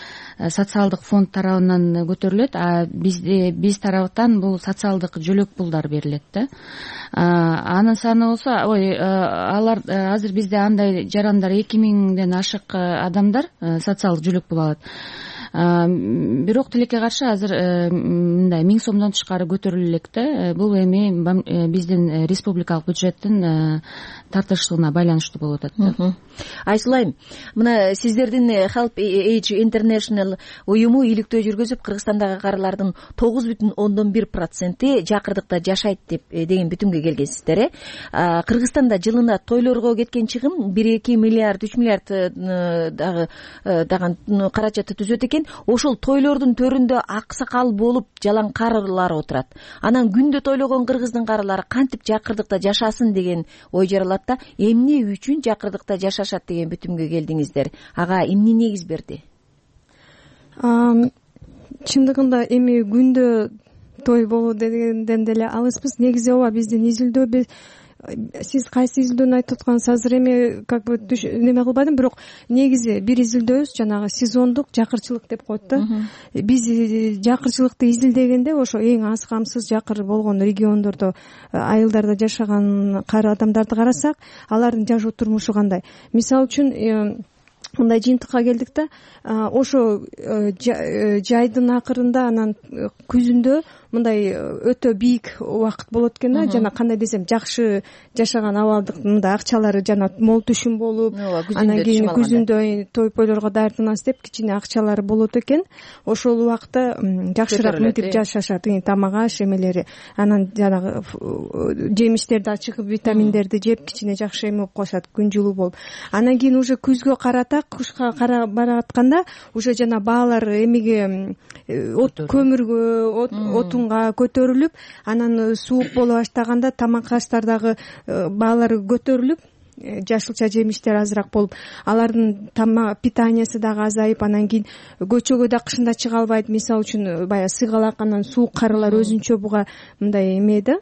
социалдык фонд тарабынан көтөрүлөт. Биз тараптан бул социалдык жөлөк пулдар берилет да. Анын саны болсо, алар азыр бизде андай жарандар 2000ден ашык адамдар социалдык жөлөк пул алат. Бирок тилекке каршы азыр мындай 1000 сомдон тышкары көтөрүлө элек да. Бул эми биздин республикалык бюджеттин тартышына байланыштуу болуп атат. Айсулайым, мына сиздердин Help Age International уюму иликтөө жүргүзүп, Кыргызстандагы карылардын 9,1% жакырдыкта жашайт деген бүтүмгө келгенсиздер. Кыргызстанда жылына тойлорго кеткен чыгым 1-2 миллиард 3 миллиард дагы каражатты түзөт экен. Ошол тойлордун төрүндө аксакал болуп жалаң карылар отурат. Анан күндө тойлогон кыргыздын карылары кантип жакырдыкта жашасын деген ой жаралат да. Эмне үчүн жакырдыкта жашашат деген бүтүмгө келдиңиздер? Ага эмне негиз берди? Чындыгында эми күндө той болуу дегенден деле алыспыз. Негизи ооба биздин изилдөө, сиз кайсы изилдөөнү айтып аткансыз азыр эми как бы неме кылбадым, бирок негизи бир изилдөөбүз жанагы сезондук жакырчылык деп коет да. Биз жакырчылыкты изилдегенде ошо эң аз камсыз жакыр болгон региондордо айылдарда жашаган кары адамдарды карасак, алардын жашоо турмушу кандай? Мисалы үчүн мындай жыйынтыкка келдик да, ошо жайдын акырында анан күзүндө мындай өтө бийик убакыт болот экен да, жана кандай десем жакшы жашаган абалдык мындай акчалары жана мол түшүм болуп, анан кийин күзүндө той пойлорго даярданабыз деп кичине акчалары болот экен. Ошол убакта жакшыраак мынтип жашашат, тамак аш эмелери, анан жанагы жемиштерди, ачык витаминдерди жеп кичине жакшы эме болуп калышат, күн жылуу болуп. Анан кийин уже күзгө карата, кышка кара баратканда уже жана баалар эмеге көмүргө, отунга көтөрүлүп, анан суук боло баштаганда тамак аштардагы баалары көтөрүлүп, жашылча жемиштер азыраак болуп, алардын питаниясы дагы азайып, анан кийин көчөгө да кышында чыга албайт. Мисалы үчүн баягы сыгалак, анан суук карылар өзүнчө буга мындай эме да,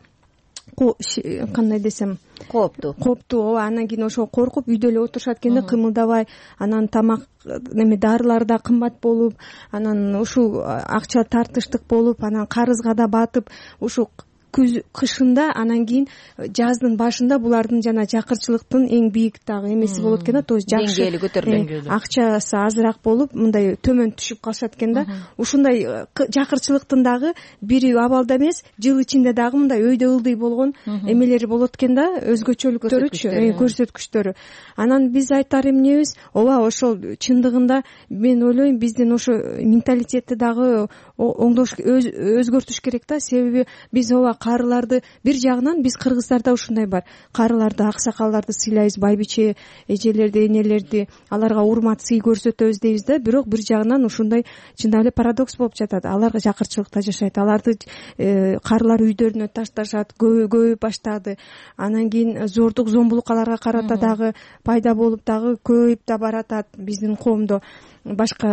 кандай десем, кооптуу. Ооба, анан кийин ошо коркуп үйдө эле отурушат экен да, кымылдабай. Анан тамак эме дарылар да кымбат болуп, анан ушул акча тартыштык болуп, анан карызга да батып, ушу кышында, анан кийин жаздын башында булардын жана жакырчылыктын эң бийик дагы эмеси болот экен да, то есть жакшы деңгээли көтөрүлөт, акчасы азыраак болуп, мындай төмөн түшүп калышат экен да. Ушундай жакырчылыктын дагы бир абалда эмес, жыл ичинде дагы мындай өйдө ылдый болгон эмелери болот экен да, өзгөчөлүктөрүчү, көрсөткүчтөрү. Анан биз айтар эмнебиз? Ооба, ошол чындыгында мен ойлойм биздин ошо менталитетти дагы өзгөртүш керек да. Себеби биз ооба карыларды бир жагынан биз кыргыздарда ушундай бар. Карыларды, аксакалдарды сыйлайбыз, байбиче эжелерди, энелерди, аларга урмат, сый көрсөтөбүз дейбиз да. Бирок бир жагынан ушундай чындап эле парадокс болуп жатат. Аларга жакырчылыкта жашайт. Аларды карылар үйдөрүнө ташташат, көбөйүп баштады. Анан кийин зордук, зомбулук аларга карата дагы пайда болуп дагы көбөйүп да баратат биздин коомдо. Башка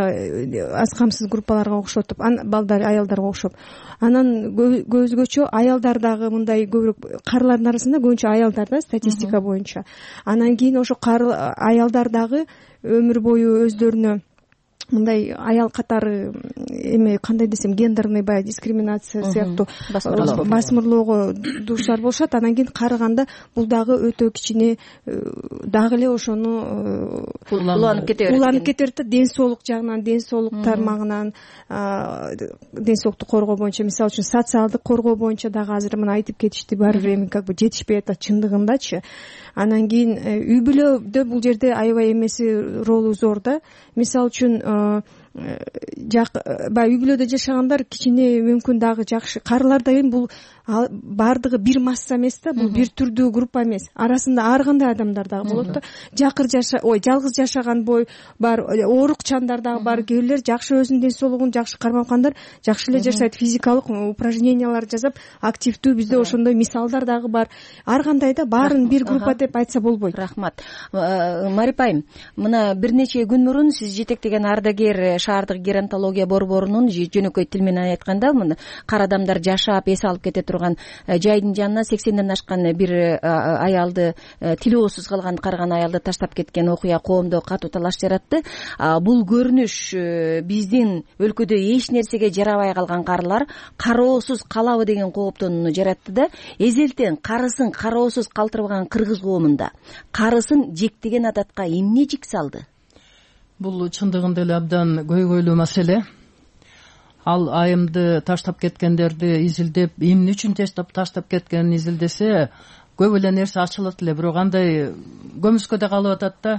аз камсыз группаларга окшотуп, балдар, аялдарга окшоп. Анан өзгөчө аялдар дагы мындай көбүрөөк, карылардын арасында көбүнчө аялдар да, статистика боюнча. Анан кийин ошо аялдар дагы өмүр бою өздөрүнө мындай аял катары эме кандай десем, гендерный баягы дискриминация сыяктуу басмырлоого дуушар болушат. Анан кийин карыганда бул дагы өтө кичине дагы эле ошону уланып кете берет да. Ден соолук жагынан, ден соолук тармагынан, ден соолукту коргоо боюнча, мисалы үчүн социалдык коргоо боюнча дагы азыр мына айтып кетишти, баары бир эми как бы жетишпей атат чындыгындачы. Анан кийин үй бүлөдө бул жерде аябай эмеси ролу зор да. Мисалы үчүн баягы үй бүлөдө жашагандар кичине мүмкүн дагы жакшы. Карыларда эми бул баардыгы бир масса эмес да, бул бир түрдүү группа эмес. Арасында ар кандай адамдар дагы болот да. Жалгыз жашаган бар, оорукчандар дагы бар. Кээ бирлер жакшы өзүнүн ден соолугун жакшы кармап аткандар жакшы эле жашайт, физикалык упражнениялар жасап активдүү. Бизде ошондой мисалдар дагы бар. Ар кандай да, баарын бир группа деп айтса болбойт. Рахмат. Марип айым, мына бир нече күн мурун сиз жетектеген ардагер шаардык геронтология борборунун жөнөкөй тил менен айтканда, мына кара адамдар жашап эс алып кете турган жайдын жанына 80ден ашкан бир аялды, тилоосуз калган карыган аялды таштап кеткен окуя коомдо катуу талаш жаратты. Бул көрүнүш биздин өлкөдө эч нерсеге жарабай калган карылар кароосуз калабы деген кооптонууну жаратты да. Эзелтен карысын кароосуз калтырбаган кыргыз коомунда карысын жектеген адатка эмне жик салды? Бул чындыгында эле абдан көйгөйлүү маселе. Ал айымды таштап кеткендерди изилдеп, эмне үчүн таштап кеткенин изилдесе, көп эле нерсе ачылат эле. Бирок андай көмүскөдө калып атат да.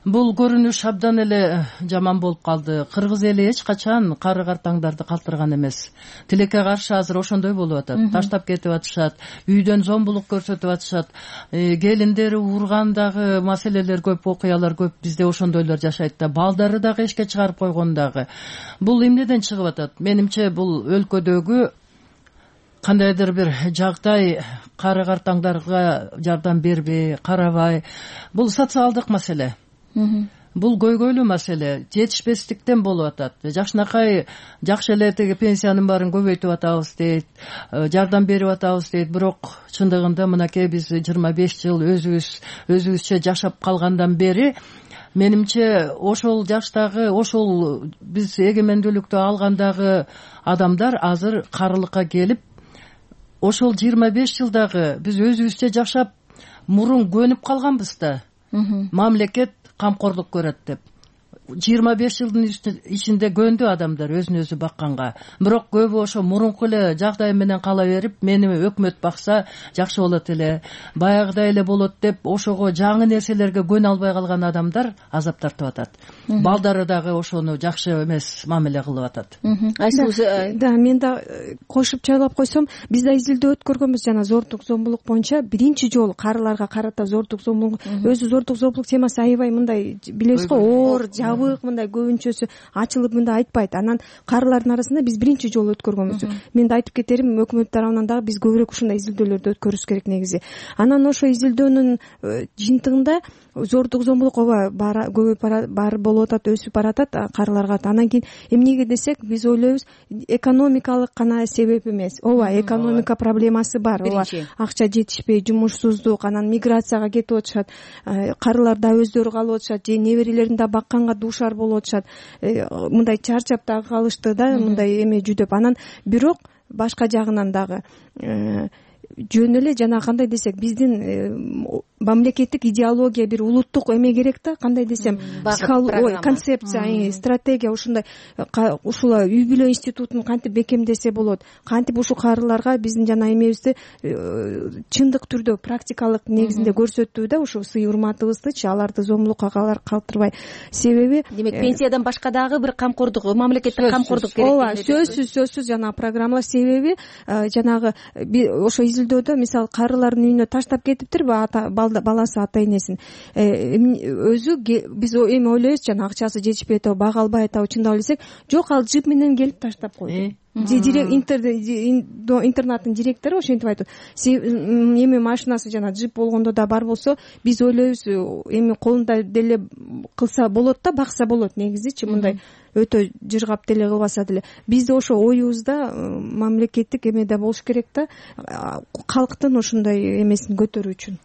Бул көрүнүш абдан эле жаман болуп калды. Кыргыз эли эч качан кары картаңдарды калтырган эмес. Тилекке каршы азыр ошондой болуп атат. Таштап кетип атышат, үйдөн зомбулук көрсөтүп атышат, келиндери урган дагы маселелер көп, окуялар көп. Бизде ошондойлор жашайт да. Балдары дагы эшикке чыгарып койгон дагы. Бул эмнеден чыгып атат? Менимче бул өлкөдөгү кандайдыр бир жагдай кары картаңдарга жардам бербей, карабай. Бул социалдык маселе. Бул көйгөйлүү маселе, жетишпестиктен болуп атат. Жакшынакай жакшы эле теги пенсиянын баарын көбөйтүп атабыз дейт, жардам берип атабыз дейт. Бирок чындыгында мынакей биз 25 жыл өзүбүзчө жашап калгандан бери менимче ошол жаштагы, ошол биз эгемендүүлүктү алгандагы адамдар азыр карылыкка келип, ошол 25 жылдагы биз өзүбүзчө жашап мурун көнүп калганбыз да. Мамлекет камкорлук көрөт деп. 25 жылдын ичинде көндү адамдар өзүн өзү бакканга. Бирок көбү ошо мурунку эле жагдай менен кала берип, мени өкмөт бакса жакшы болот эле, баягыдай эле болот деп ошого жаңы нерселерге көнө албай калган адамдар азап тартып атат. Балдары дагы ошону жакшы эмес мамиле кылып атат. Да, мен да кошуп чайлап койсом, биз да изилдөө өткөргөнбүз жана зордук зомбулук боюнча биринчи жолу карыларга карата зордук зомбулук. Өзү зордук зомбулук темасы аябай мындай, билесиз го, оор, мындай көбүнчөсү ачылып мындай айтпайт. Анан карылардын арасында биз биринчи жолу өткөргөнбүз. Мен да айтып кетерим, өкмөт тарабынан дагы биз көбүрөөк ушундай изилдөөлөрдү өткөрүш керек негизи. Анан ошо изилдөөнүн жыйынтыгында зордук зомбулук ооба көбөйүп болуп атат, өсүп баратат карыларга. Анан кийин эмнеге десек, биз ойлойбуз экономикалык гана себеп эмес. Ооба, экономика проблемасы бар. Ооба, акча жетишпей, жумушсуздук, анан миграцияга кетип атышат. Карылар да өздөрү калып атышат, же неберелерин да бакканга дуушар болуп атышат. Мындай чарчап дагы калышты да, мындай эме жүдөп. Анан бирок башка жагынан дагы жөн эле жана кандай десек биздин мамлекеттик идеология, бир улуттук эме керек да, кандай десем, концепция, стратегия, ушундай ушул үй бүлө институтун кантип бекемдесе болот, кантип ушул карыларга биздин жана эмебизди чындык түрдө практикалык негизинде көрсөтүү да, ушу сый урматыбыздычы аларды зомбулукка калтырбай. Себеби демек пенсиядан башка дагы бир камкордук, мамлекеттик камкордук керек. Ооба, сөзсүз жана программалар. Себеби жанагы ошо изилдөөдө мисалы карылардын үйүнө таштап кетиптирби баласы ата энесин, өзү биз эми ойлойбуз жана акчасы жетишпей атабы, бага албай атабы, чындап элесек жок, ал джип менен келип таштап койду. Интернаттын директору ошентип айтат. Эми машинасы жана джип болгондо да бар болсо, биз ойлойбуз эми колунда деле кылса болот да, бакса болот негизичи, мындай өтө жыргап деле кылбаса деле. Бизде ошо оюбузда мамлекеттик эме да болуш керек да, калктын ошондой эмесин көтөрүү үчүн.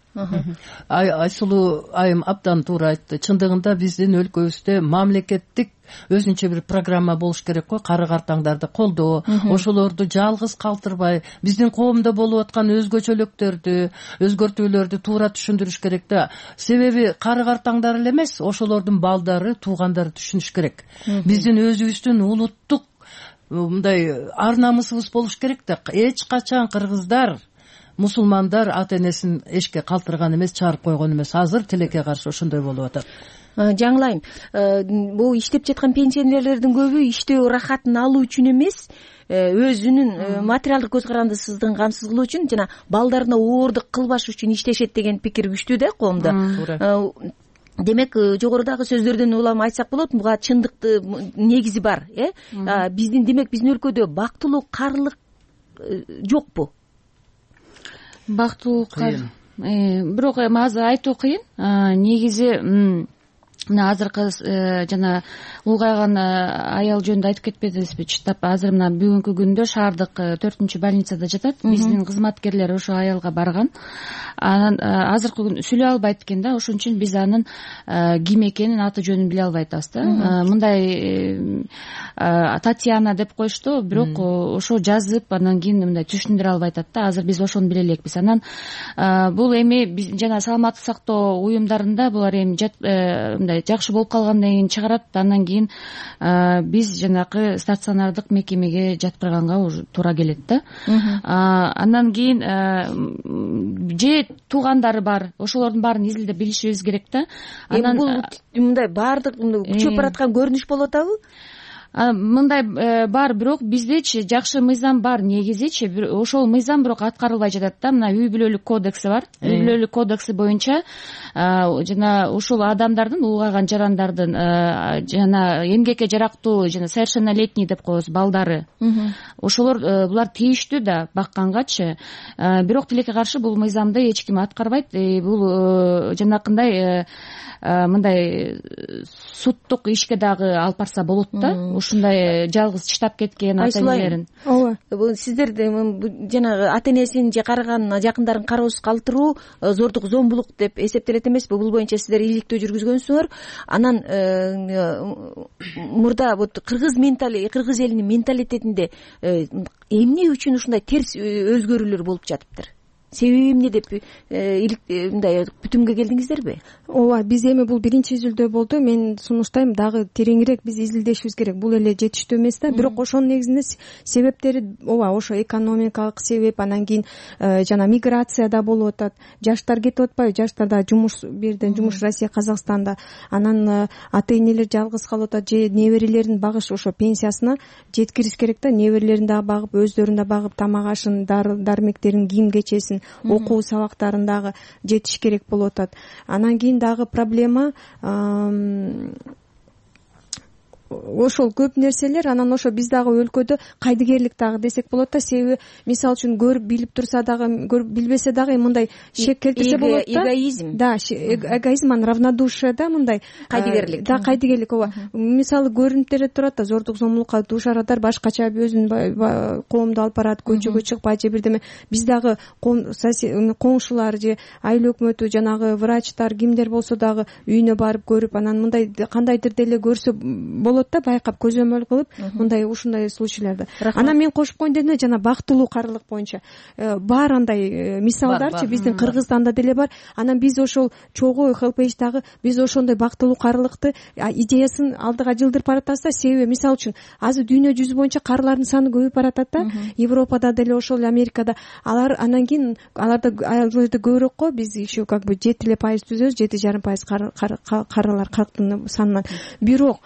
Айсулуу айым абдан туура айтты. Чындыгында биздин өлкөбүздө мамлекеттик өзүнчө бир программа болуш керек го, кары картаңдарды колдоо, ошолорду жалгыз калтырбай, биздин коомдо болуп аткан өзгөчөлүктөрдү, өзгөртүүлөрдү туура түшүндүрүш керек да. Себеби кары картаңдар эле эмес, ошолордун балдары, туугандары түшүнүш керек. Биздин өзүбүздүн улуттук мындай ар намысыбыз болуш керек да. Эч качан кыргыздар, мусулмандар ата энесин эшикке калтырган эмес, чыгарып койгон эмес. Азыр тилекке каршы ошондой болуп атат. Жаңылайм, бул иштеп жаткан пенсионерлердин көбү иштөө рахатын алуу үчүн эмес, өзүнүн материалдык көз карандысыздыгын камсыз кылуу үчүн жана балдарына оордук кылбаш үчүн иштешет деген пикир күчтүү да коомдо. Демек, жогорудагы сөздөрдөн улам айтсак болот, буга чындыкты негизи бар, биздин өлкөдө бактылуу карылык жокпу? Бактылуу бирок азыр айтуу кыйын. Негизи мына азыркы жана улгайган аял жөнүндө айтып кетпедиңизби? Чыттап азыр мына бүгүнкү күндө шаардык 4-больницада жатат. Биздин кызматкерлер ошо аялга барган. Анан азыркы күн сүйлөй албайт экен да, ошон үчүн биз анын ким экенин, аты жөнүн биле албай атабыз да. Мындай Татьяна деп коюшту, бирок ошо жазып анан кийин мындай түшүндүрө албай атат да. Азыр биз ошону биле элекпиз. Анан бул эми жана саламаттык сактоо уюмдарында булар эми жакшы болуп калгандан кийин чыгарат, андан кийин биз жанакы стационардык мекемеге жаткырганга уже туура келет да. Андан кийин же туугандары бар, ошолордун баарын изилдеп билишибиз керек да. Анан бул мындай баардык күчөп бараткан көрүнүш болуп атабы? Мындай бар, бирок биздечи жакшы мыйзам бар негизичи, ошол мыйзам бирок аткарылбай жатат да. Мына үй бүлөлүк кодекси бар. Үй бүлөлүк кодекси боюнча жана ушул адамдардын, улгайган жарандардын жана эмгекке жарактуу жана совершеннолетний деп коебуз балдары, ошолор булар тийиштүү да баккангачы. Бирок тилекке каршы бул мыйзамды эч ким аткарбайт. Бул жанакындай мындай суттук ишке дагы алып барса болот да. Ушундай жалгыз чыдап кеткен ата энелерин. Ооба. Сиздер жанагы ата энесин же карыган жакындарын кароосуз калтыруу зордук, зомбулук деп эсептелет эмеспи? Бул боюнча сиздер иликтөө жүргүзгөнсүңөр. Анан мурда вот кыргыз элинин менталитетинде эмне үчүн ушундай терс өзгөрүүлөр болуп жатыптыр? Себеби эмне деп мындай бүтүмгө келдиңиздерби? Ооба, биз эми бул биринчи изилдөө болду. Мен сунуштайм дагы тереңирээк биз изилдешибиз керек. Бул эле жетиштүү эмес да. Бирок ошонун негизинде себептери ооба, ошо экономикалык себеп, анан кийин жана миграция да болуп атат. Жаштар кетип атпайбы? Жаштарда жумуш, бирден жумуш Россия, Казакстанда. Анан ата энелер жалгыз калып атат, же неберелерин багыш ошо пенсиясына жеткириш керек да. Неберелерин дагы багып, өздөрүн да багып, тамак ашын, дармектерин, кийим кечесин, окуу сабактарын дагы жетиш керек болуп атат. Анан кийин дагы проблема ошол көп нерселер. Анан ошо биз дагы өлкөдө кайдыгерлик дагы десек болот да. Себеби мисалы үчүн көрүп билип турса дагы, көрүп билбесе дагы мындай шек келтирсе болот да. Эгоизм. Да, эгоизм, анан равнодушие да, мындай кайдыгерлик. Да, кайдыгерлик. Ооба. Мисалы көрүнүптөр турат да, зордук, зомбулукка дуушарадар, башкача өзүнүн коомду алып барат, көчөгө чыкпайт же бирдеме. Биз дагы коңшулар же айыл өкмөтү, жанагы врачтар, кимдер болсо дагы үйүнө барып көрүп, анан мындай кандайдыр деле көрсө болот болот да, байкап көзөмөл кылып мындай ушундай случайларды. Анан мен кошуп коеюн дедим, жана бактылуу карылык боюнча бар андай мисалдарчы биздин Кыргызстанда деле бар. Анан биз ошол чогуу HelpAge-дагы биз ошондой бактылуу карылыкты идеясын алдыга жылдырып баратабыз да. Себеби мисалы үчүн азыр дүйнө жүзү боюнча карылардын саны көбөйүп баратат да. Европада деле ошол, Америкада. Алар анан кийин аларда айылда көбүрөөк го, биз еще как бы 7% түзөбүз, 7,5% карылар калктын санынан. Бирок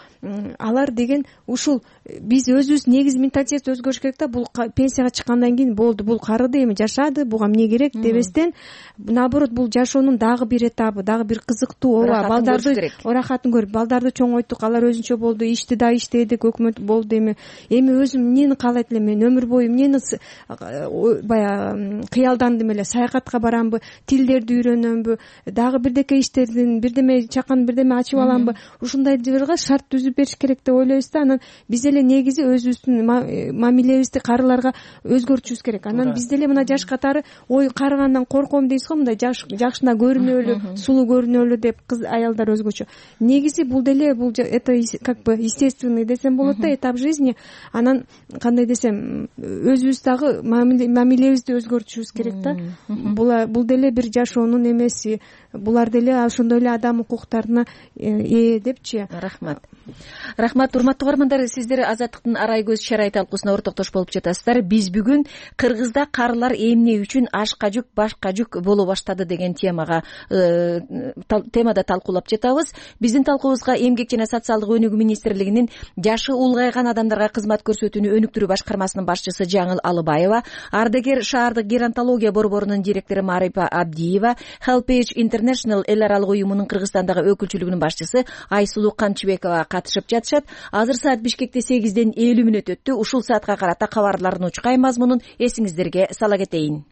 алар деген ушул биз өзүбүз негизи менталитет өзгөрүш керек да. Бул пенсияга чыккандан кийин болду, бул карыды эми жашады, буга эмне керек дебестен, наоборот бул жашоонун дагы бир этабы, дагы бир кызыктуу. Ооба, балдарды орахатын көрүп, балдарды чоңойттук, алар өзүнчө болду, ишти да иштедик, өкмөт болду. Эми өзүм эмнени каалайт элем, мен өмүр бою эмнени баягы кыялдандым эле, саякатка барамбы, тилдерди үйрөнөмбү, дагы бирдеке иштердин, бирдеме чакан бирдеме ачып аламбы, ушундай жырга шарт түзүп бериш керек деп ойлойбуз да. Анан биз эле негизи өзүбүздүн мамилебизди карыларга өзгөртүшүбүз керек. Анан биз деле мына жаш катары ой карыгандан корком дейсиз го, мындай жакшына көрүнөлү, сулуу көрүнөлү деп кыз аялдар өзгөчө. Негизи бул деле бул это как бы естественный десем болот да, этап жизни. Анан кандай десем, өзүбүз дагы мамилебизди өзгөртүшүбүз керек да. Бул деле бир жашоонун эмеси, булар деле ошондой эле адам укуктарына ээ депчи. Рахмат, урматтуу угармандар, сиздер Азаттыктын арай көз чарай талкуусуна ортоктош болуп жатасыздар. Биз бүгүн Кыргызда карылар эмне үчүн ашка жүк, башка жүк боло баштады деген темада талкуулап жатабыз. Биздин талкуубузга Эмгек жана социалдык өнүгүү министрлигинин жашы улгайган адамдарга кызмат көрсөтүүнү өнүктүрүү башкармасынын башчысы Жаңыл Алыбаева, Ардегер шаардык геронтология борборунун директору Марипа Абдиева, HelpAge International эл аралык уюмунун Кыргызстандагы өкүлчүлүгүнүн башчысы Айсулуу Канчыбекова катышып жатышат. Азыр саат Бишкекте 8:50 өттү. Ушул саатка карата кабарлардын учкай мазмунун эсиңиздерге сала кетейин.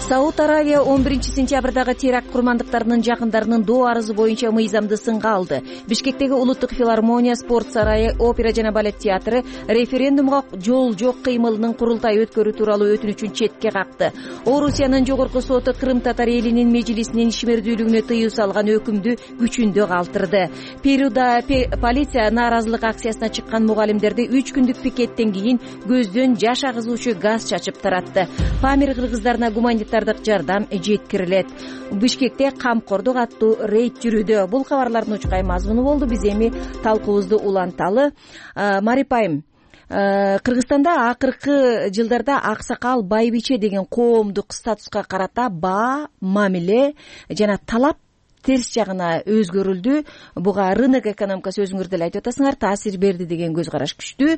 Сауд Аравия 11-сентябрдагы теракт курмандыктарынын жакындарынын доо арызы боюнча мыйзамды сынга алды. Бишкектеги Улуттук филармония, спорт сарайы, опера жана балет театры референдумга жол жок кыймылынын курултай өткөрүү тууралуу өтүнүчүн четке какты. Орусиянын жогорку соту Крым татар элинин межлисинин ишмердүүлүгүнө тыюу салган өкүмдү күчүндө калтырды. Перуда полиция нааразылык акциясына чыккан мугалимдерди 3 күндүк пикеттен кийин көздөн жаш агызуучу газ чачып таратты. Памир кыргыздарына гуманитардык жардам жеткирилет. Бишкекте камкордук аттуу рейд жүрүүдө. Бул кабарлардын учкай мазмуну болду. Биз эми талкуубузду уланталы. Марипайым, Кыргызстанда акыркы жылдарда аксакал, байбиче деген коомдук статуска карата баа, мамиле жана талап терс жагына өзгөрүлдү. Буга рынок экономикасы, өзүңөр деле айтып атасыңар, таасир берди деген көз караш күчтүү.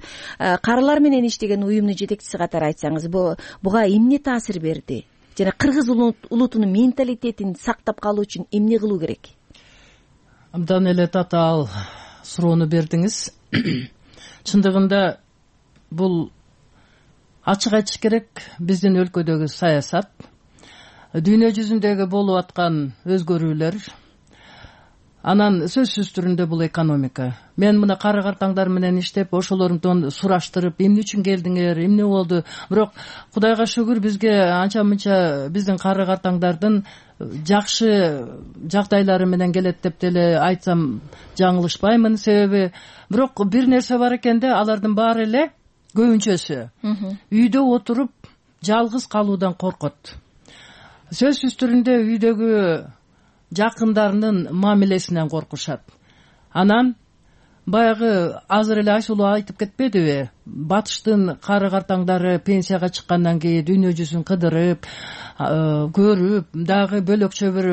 Карылар менен иштеген уюмдун жетекчиси катары айтсаңыз, буга эмне таасир берди? Жана кыргыз улутунун менталитетин сактап калуу үчүн эмне кылуу керек? Абдан эле татаал суроону бердиңиз. Чындыгында бул ачык айтыш керек, биздин өлкөдөгү саясат, дүйнө жүзүндөгү болуп аткан өзгөрүүлөр, анан сөзсүз түрүндө бул экономика. Мен мына кары картаңдар менен иштеп, ошолордон сураштырып, эмне үчүн келдиңер, эмне болду? Бирок Кудайга шүгүр, бизге анча мынча биздин кары картаңдардын жакшы жагдайлары менен келет деп деле айтсам жаңылышпаймын. Себеби бирок бир нерсе бар экен да, алардын баары эле көбүнчөсү үйдө отуруп жалгыз калуудан коркот. Сөзсүз түрүндө үйдөгү жакындарынын мамилесинен коркушат. Анан баягы азыр эле Айсулуу айтып кетпедиби? Батыштын кары картаңдары пенсияга чыккандан кийин дүйнө жүзүн кыдырып, көрүп, дагы бөлөкчө бир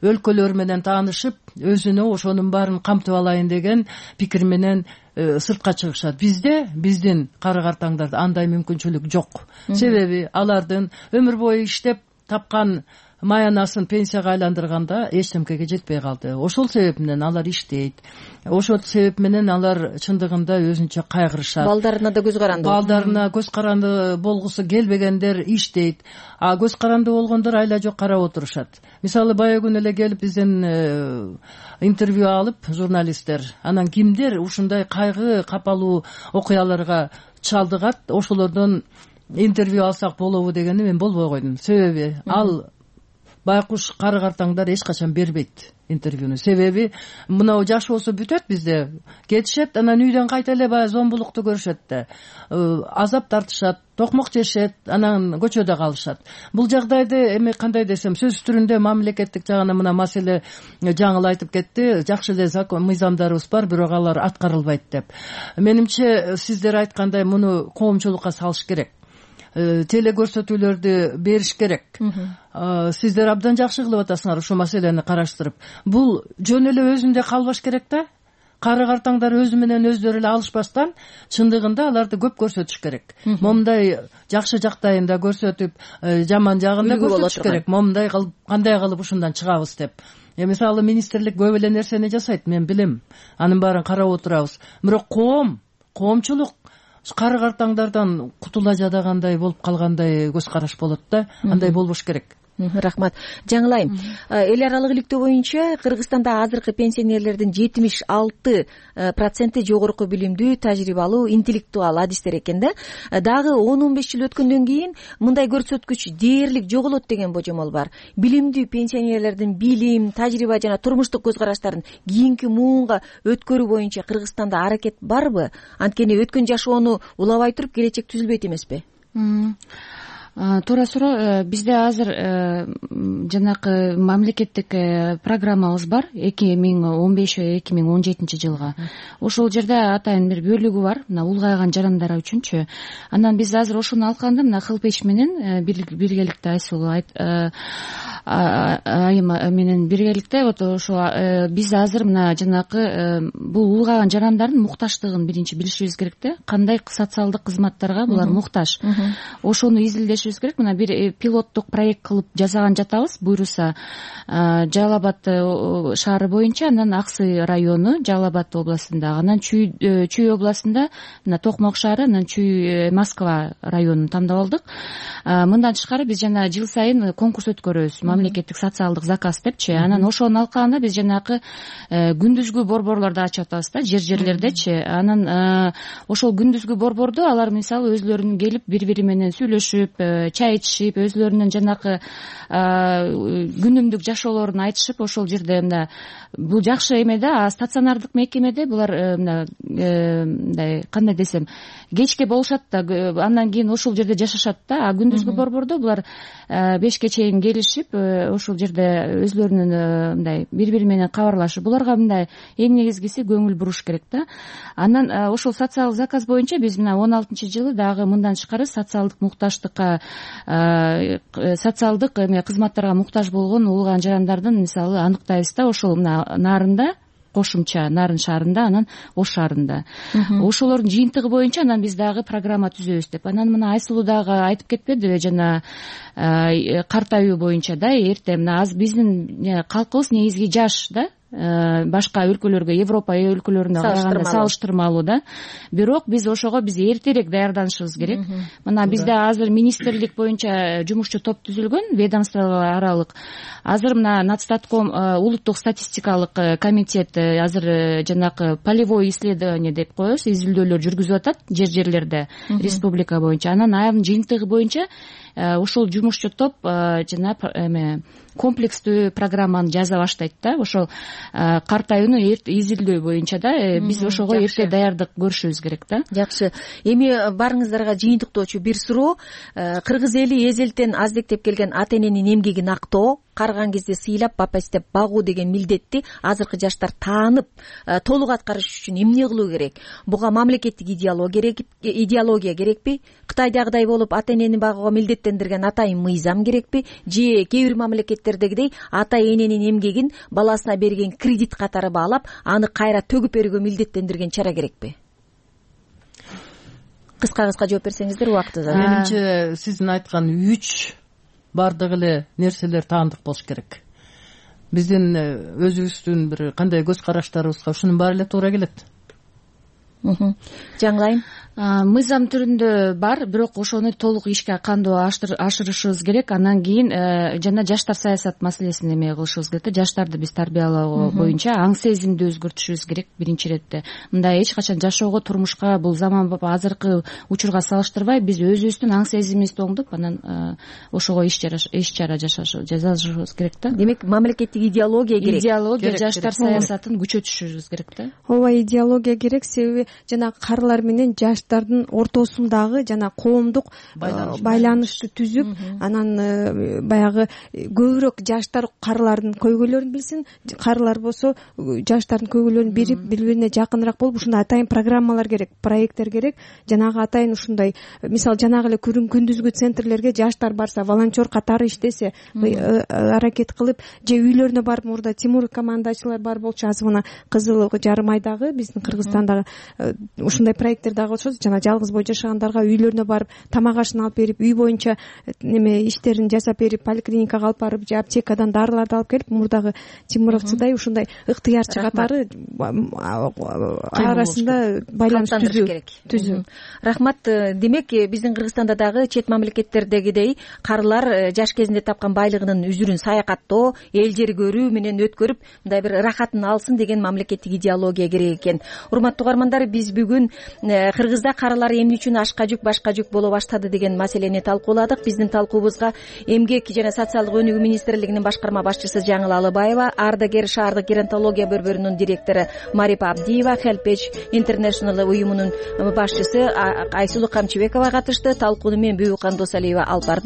өлкөлөр менен таанышып, өзүнө ошонун баарын камтып алайын деген пикир менен сыртка чыгышат. Бизде, биздин кары картаңдарда андай мүмкүнчүлүк жок. Себеби алардын өмүр бою иштеп тапкан маянасын пенсияга айландырганда эчтемкеге жетпей калды. Ошол себеп менен алар иштейт. Ошол себеп менен алар чындыгында өзүнчө кайгырышат. Балдарына да көз каранды. Балдарына көз каранды болгусу келбегендер иштейт. А көз каранды болгондор айла жок карап отурушат. Мисалы бая күнү эле келип бизден интервью алып журналисттер, анан кимдер ушундай кайгы капалуу окуяларга чалдыгат, ошолордон интервью алсак болобу дегени мен болбой койдум. Себеби ал байкуш кары картаңдар эч качан бербейт интервьюну. Себеби мынау жаш болсо бүтөт бизде. Кетишет, анан үйдөн кайта эле баягы зомбулукту көрүшөт да. Азап тартышат, токмок жешет, анан көчөдө калышат. Бул жагдайды эми кандай десем, сөз түрүндө мамлекеттик жагынан мына маселе жаңыл айтып кетти. Жакшы эле закон, мыйзамдарыбыз бар, бирок алар аткарылбайт деп. Менимче сиздер айткандай муну коомчулукка салыш керек. Теле көрсөтүүлөрдү бериш керек. Сиздер абдан жакшы кылып атасыңар ушул маселени караштырып. Бул жөн эле өзүндө калбаш керек да. Кары картаңдар өзү менен өздөрү эле алышпастан, чындыгында аларды көп көрсөтүш керек. Момундай жакшы жактайын да көрсөтүп, жаман жагын да көрсөтүш керек. Момундай кылып, кандай кылып ушундан чыгабыз деп. Мисалы министрлик көп эле нерсени жасайт, мен билем. Анын баарын карап отурабыз. Бирок коомчулук кары картаңдардан кутула жадагандай болуп калгандай көз караш болот да. Андай болбош керек. Рахмат. Жаңылайым. Эл аралык иликтөө боюнча Кыргызстанда азыркы пенсионерлердин 76% жогорку билимдүү, тажрыйбалуу, интеллектуал адистер экен да. Дагы 10-15 жыл өткөндөн кийин мындай көрсөткүч дээрлик жоголот деген божомол бар. Билимдүү пенсионерлердин билим, тажрыйба жана турмуштук көз караштарын кийинки муунга өткөрүү боюнча Кыргызстанда аракет барбы? Анткени өткөн жашоону улабай туруп келечек түзүлбөйт эмеспи? Туура суроо. Бизде азыр жанакы мамлекеттик программабыз бар 2015-2017 жылга. Ошол жерде атайын бир бөлүгү бар, мына улгайган жарандар үчүнчү. Анан биз азыр ошону алганда мына Хелпеч менен биргеликте Айсулуу айым менен биргеликте ошо биз азыр мына жанакы бул улгайган жарандардын мукташтыгын биринчи билишибиз керек да. Кандай социалдык кызматтарга булар муктаж. Ошону изилдеш керек. Мына бир пилоттук проект кылып жасаган жатабыз. Буйруса Жалал Абад шаары боюнча, анан Аксы району Жалал Абад областында, анан Чүй областында мына Токмок шаары, анан Чүй Москва районун тандап алдык. Мындан тышкары биз жана жыл сайын конкурс өткөрөбүз, мамлекеттик социалдык заказ депчи. Анан ошону алканда биз жанакы күндүзгү борборлорду ачып атабыз да, жерлердечи. Анан ошол күндүзгү борбордо алар мисалы өзлөрүнүн келип бири-бири менен сүйлөшүп, чай ичишип, өзлөрүнүн жанакы күнүмдүк жашоолорун айтышып, ошол жерде мына бул жакшы эме да. Стационардык мекемеде булар мындай кандай десем, кечке болушат да, андан кийин ошол жерде жашашат да. А күндүзгү борбордо булар 5ке чейин келишип, ошол жерде өзлөрүнүн мындай бири-бири менен кабарлашып, буларга мындай эң негизгиси көңүл буруш керек да. Анан ошол социалдык заказ боюнча биз мына 16-жылы дагы мындан тышкары социалдык мукташтыкка, социалдык кызматтарга муктаж болгон улгайган жарандардын мисалы аныктайбыз да. Ошол мына Нарында, кошумча Нарын шаарында, анан Ош шаарында. Ошолордун жыйынтыгы боюнча анан биз дагы программа түзөбүз деп. Анан мына Айсулуу дагы айтып кетпедиби, жана картаюу боюнча да, эрте мына биздин калкыбыз негизги жаш да. Башка өлкөлөргө, Европа өлкөлөрүнө караганда салыштырмалуу да. Бирок биз ошого эртерээк даярданышыбыз керек. Мына бизде азыр министрлик боюнча жумушчу топ түзүлгөн, ведомство аралык. Азыр мына Нацстатком, улуттук статистикалык комитет азыр жанакы полевой исследование деп коебуз, изилдөөлөр жүргүзүп атат жерлерде, республика боюнча. Анан анын жыйынтыгы боюнча ошол жумушчу топ жана комплекстүү программаны жаза баштайт да. Ошол картаюуну изилдөө боюнча да, биз ошого эрте даярдык көрүшүбүз керек да. Жакшы. Эми барыңыздарга жыйынтыктоочу бир суроо. Кыргыз эли эзелтен аздектеп келген ата эненин эмгегин актоо, карыган кезде сыйлап, бапестеп багуу деген милдетти азыркы жаштар таанып, толук аткарыш үчүн эмне кылуу керек? Буга мамлекеттик идеология керекпи? Кытайдагыдай болуп ата энени багууга милдеттендирген атайын мыйзам керекпи? Же кээ бир мамлекеттердегидей ата эненин эмгегин баласына берген кредит катары баалап, аны кайра төгүп берүүгө милдеттендирген чара керекпи? Кыска жооп берсеңиздер, убактыбыз аз. Менимче сиздин айткан 3 бардык эле нерселер таандык болуш керек. Биздин өзүбүздүн бир кандай көз караштарыбызга ушунун баары эле туура келет. Жаңылайым. мыйзам түрүндө бар, бирок ошону толук ишке кандуу ашырышыбыз керек. Андан кийин жана жаштар саясат маселесин эме кылышыбыз керек да. Жаштарды биз тарбиялоо боюнча аң сезимди өзгөртүшүбүз керек биринчи иретте. Мындай эч качан жашоого, турмушка, бул заманбап азыркы учурга салыштырбай биз өзүбүздүн аң сезимибизди оңдоп, анан ошого иш чара жасашыбыз керек да. Демек мамлекеттик идеология керек. Идеология, жаштар саясатын күчөтүшүбүз керек да. Ооба, идеология керек. Себеби жана карылар менен жаштардын ортосундагы жана коомдук байланышты түзүп, анан баягы көбүрөөк жаштар карылардын көйгөйлөрүн билсин, карылар болсо жаштардын көйгөйлөрүн бирип, бири-бирине жакыныраак болуп, ушундай атайын программалар керек, проекттер керек. Жанагы атайын ушундай, мисалы жанагы эле күндүзгү центрлерге жаштар барса, волонтер катары иштесе, аракет кылып, же үйлөрүнө барып, мурда Тимур командачылар бар болчу, азыр мына Кызыл Жарым айдагы биздин Кыргызстандагы ушундай проекттер дагы болчу. Жана жалгыз бой жашагандарга үйлөрүнө барып тамак ашын алып берип, үй боюнча неме иштерин жасап берип, поликлиникага алып барып, же аптекадан дарыларды алып келип, мурдагы Тимуровцудай ушундай ыктыярчы катары арасында байланыш түзүү. Рахмат. Демек биздин Кыргызстанда дагы чет мамлекеттердегидей карылар жаш кезинде тапкан байлыгынын үзүрүн саякаттоо, эл жер көрүү менен өткөрүп, мындай бир рахатын алсын деген мамлекеттик идеология керек экен. Урматтуу угармандар, биз бүгүн Кыргызда карылар эмне үчүн ашка жүк, башка жүк боло баштады деген маселени талкууладык. Биздин талкуубузга Эмгек жана социалдык өнүгүү министрлигинин башкарма башчысы Жаңыл Алыбаева, Ардагер шаардык геронтология борборунун директору Марипа Абдиева, Helpage International уюмунун башчысы Айсулу Камчыбекова катышты. Талкууну мен Бүбүкан Досалиева алып бардым.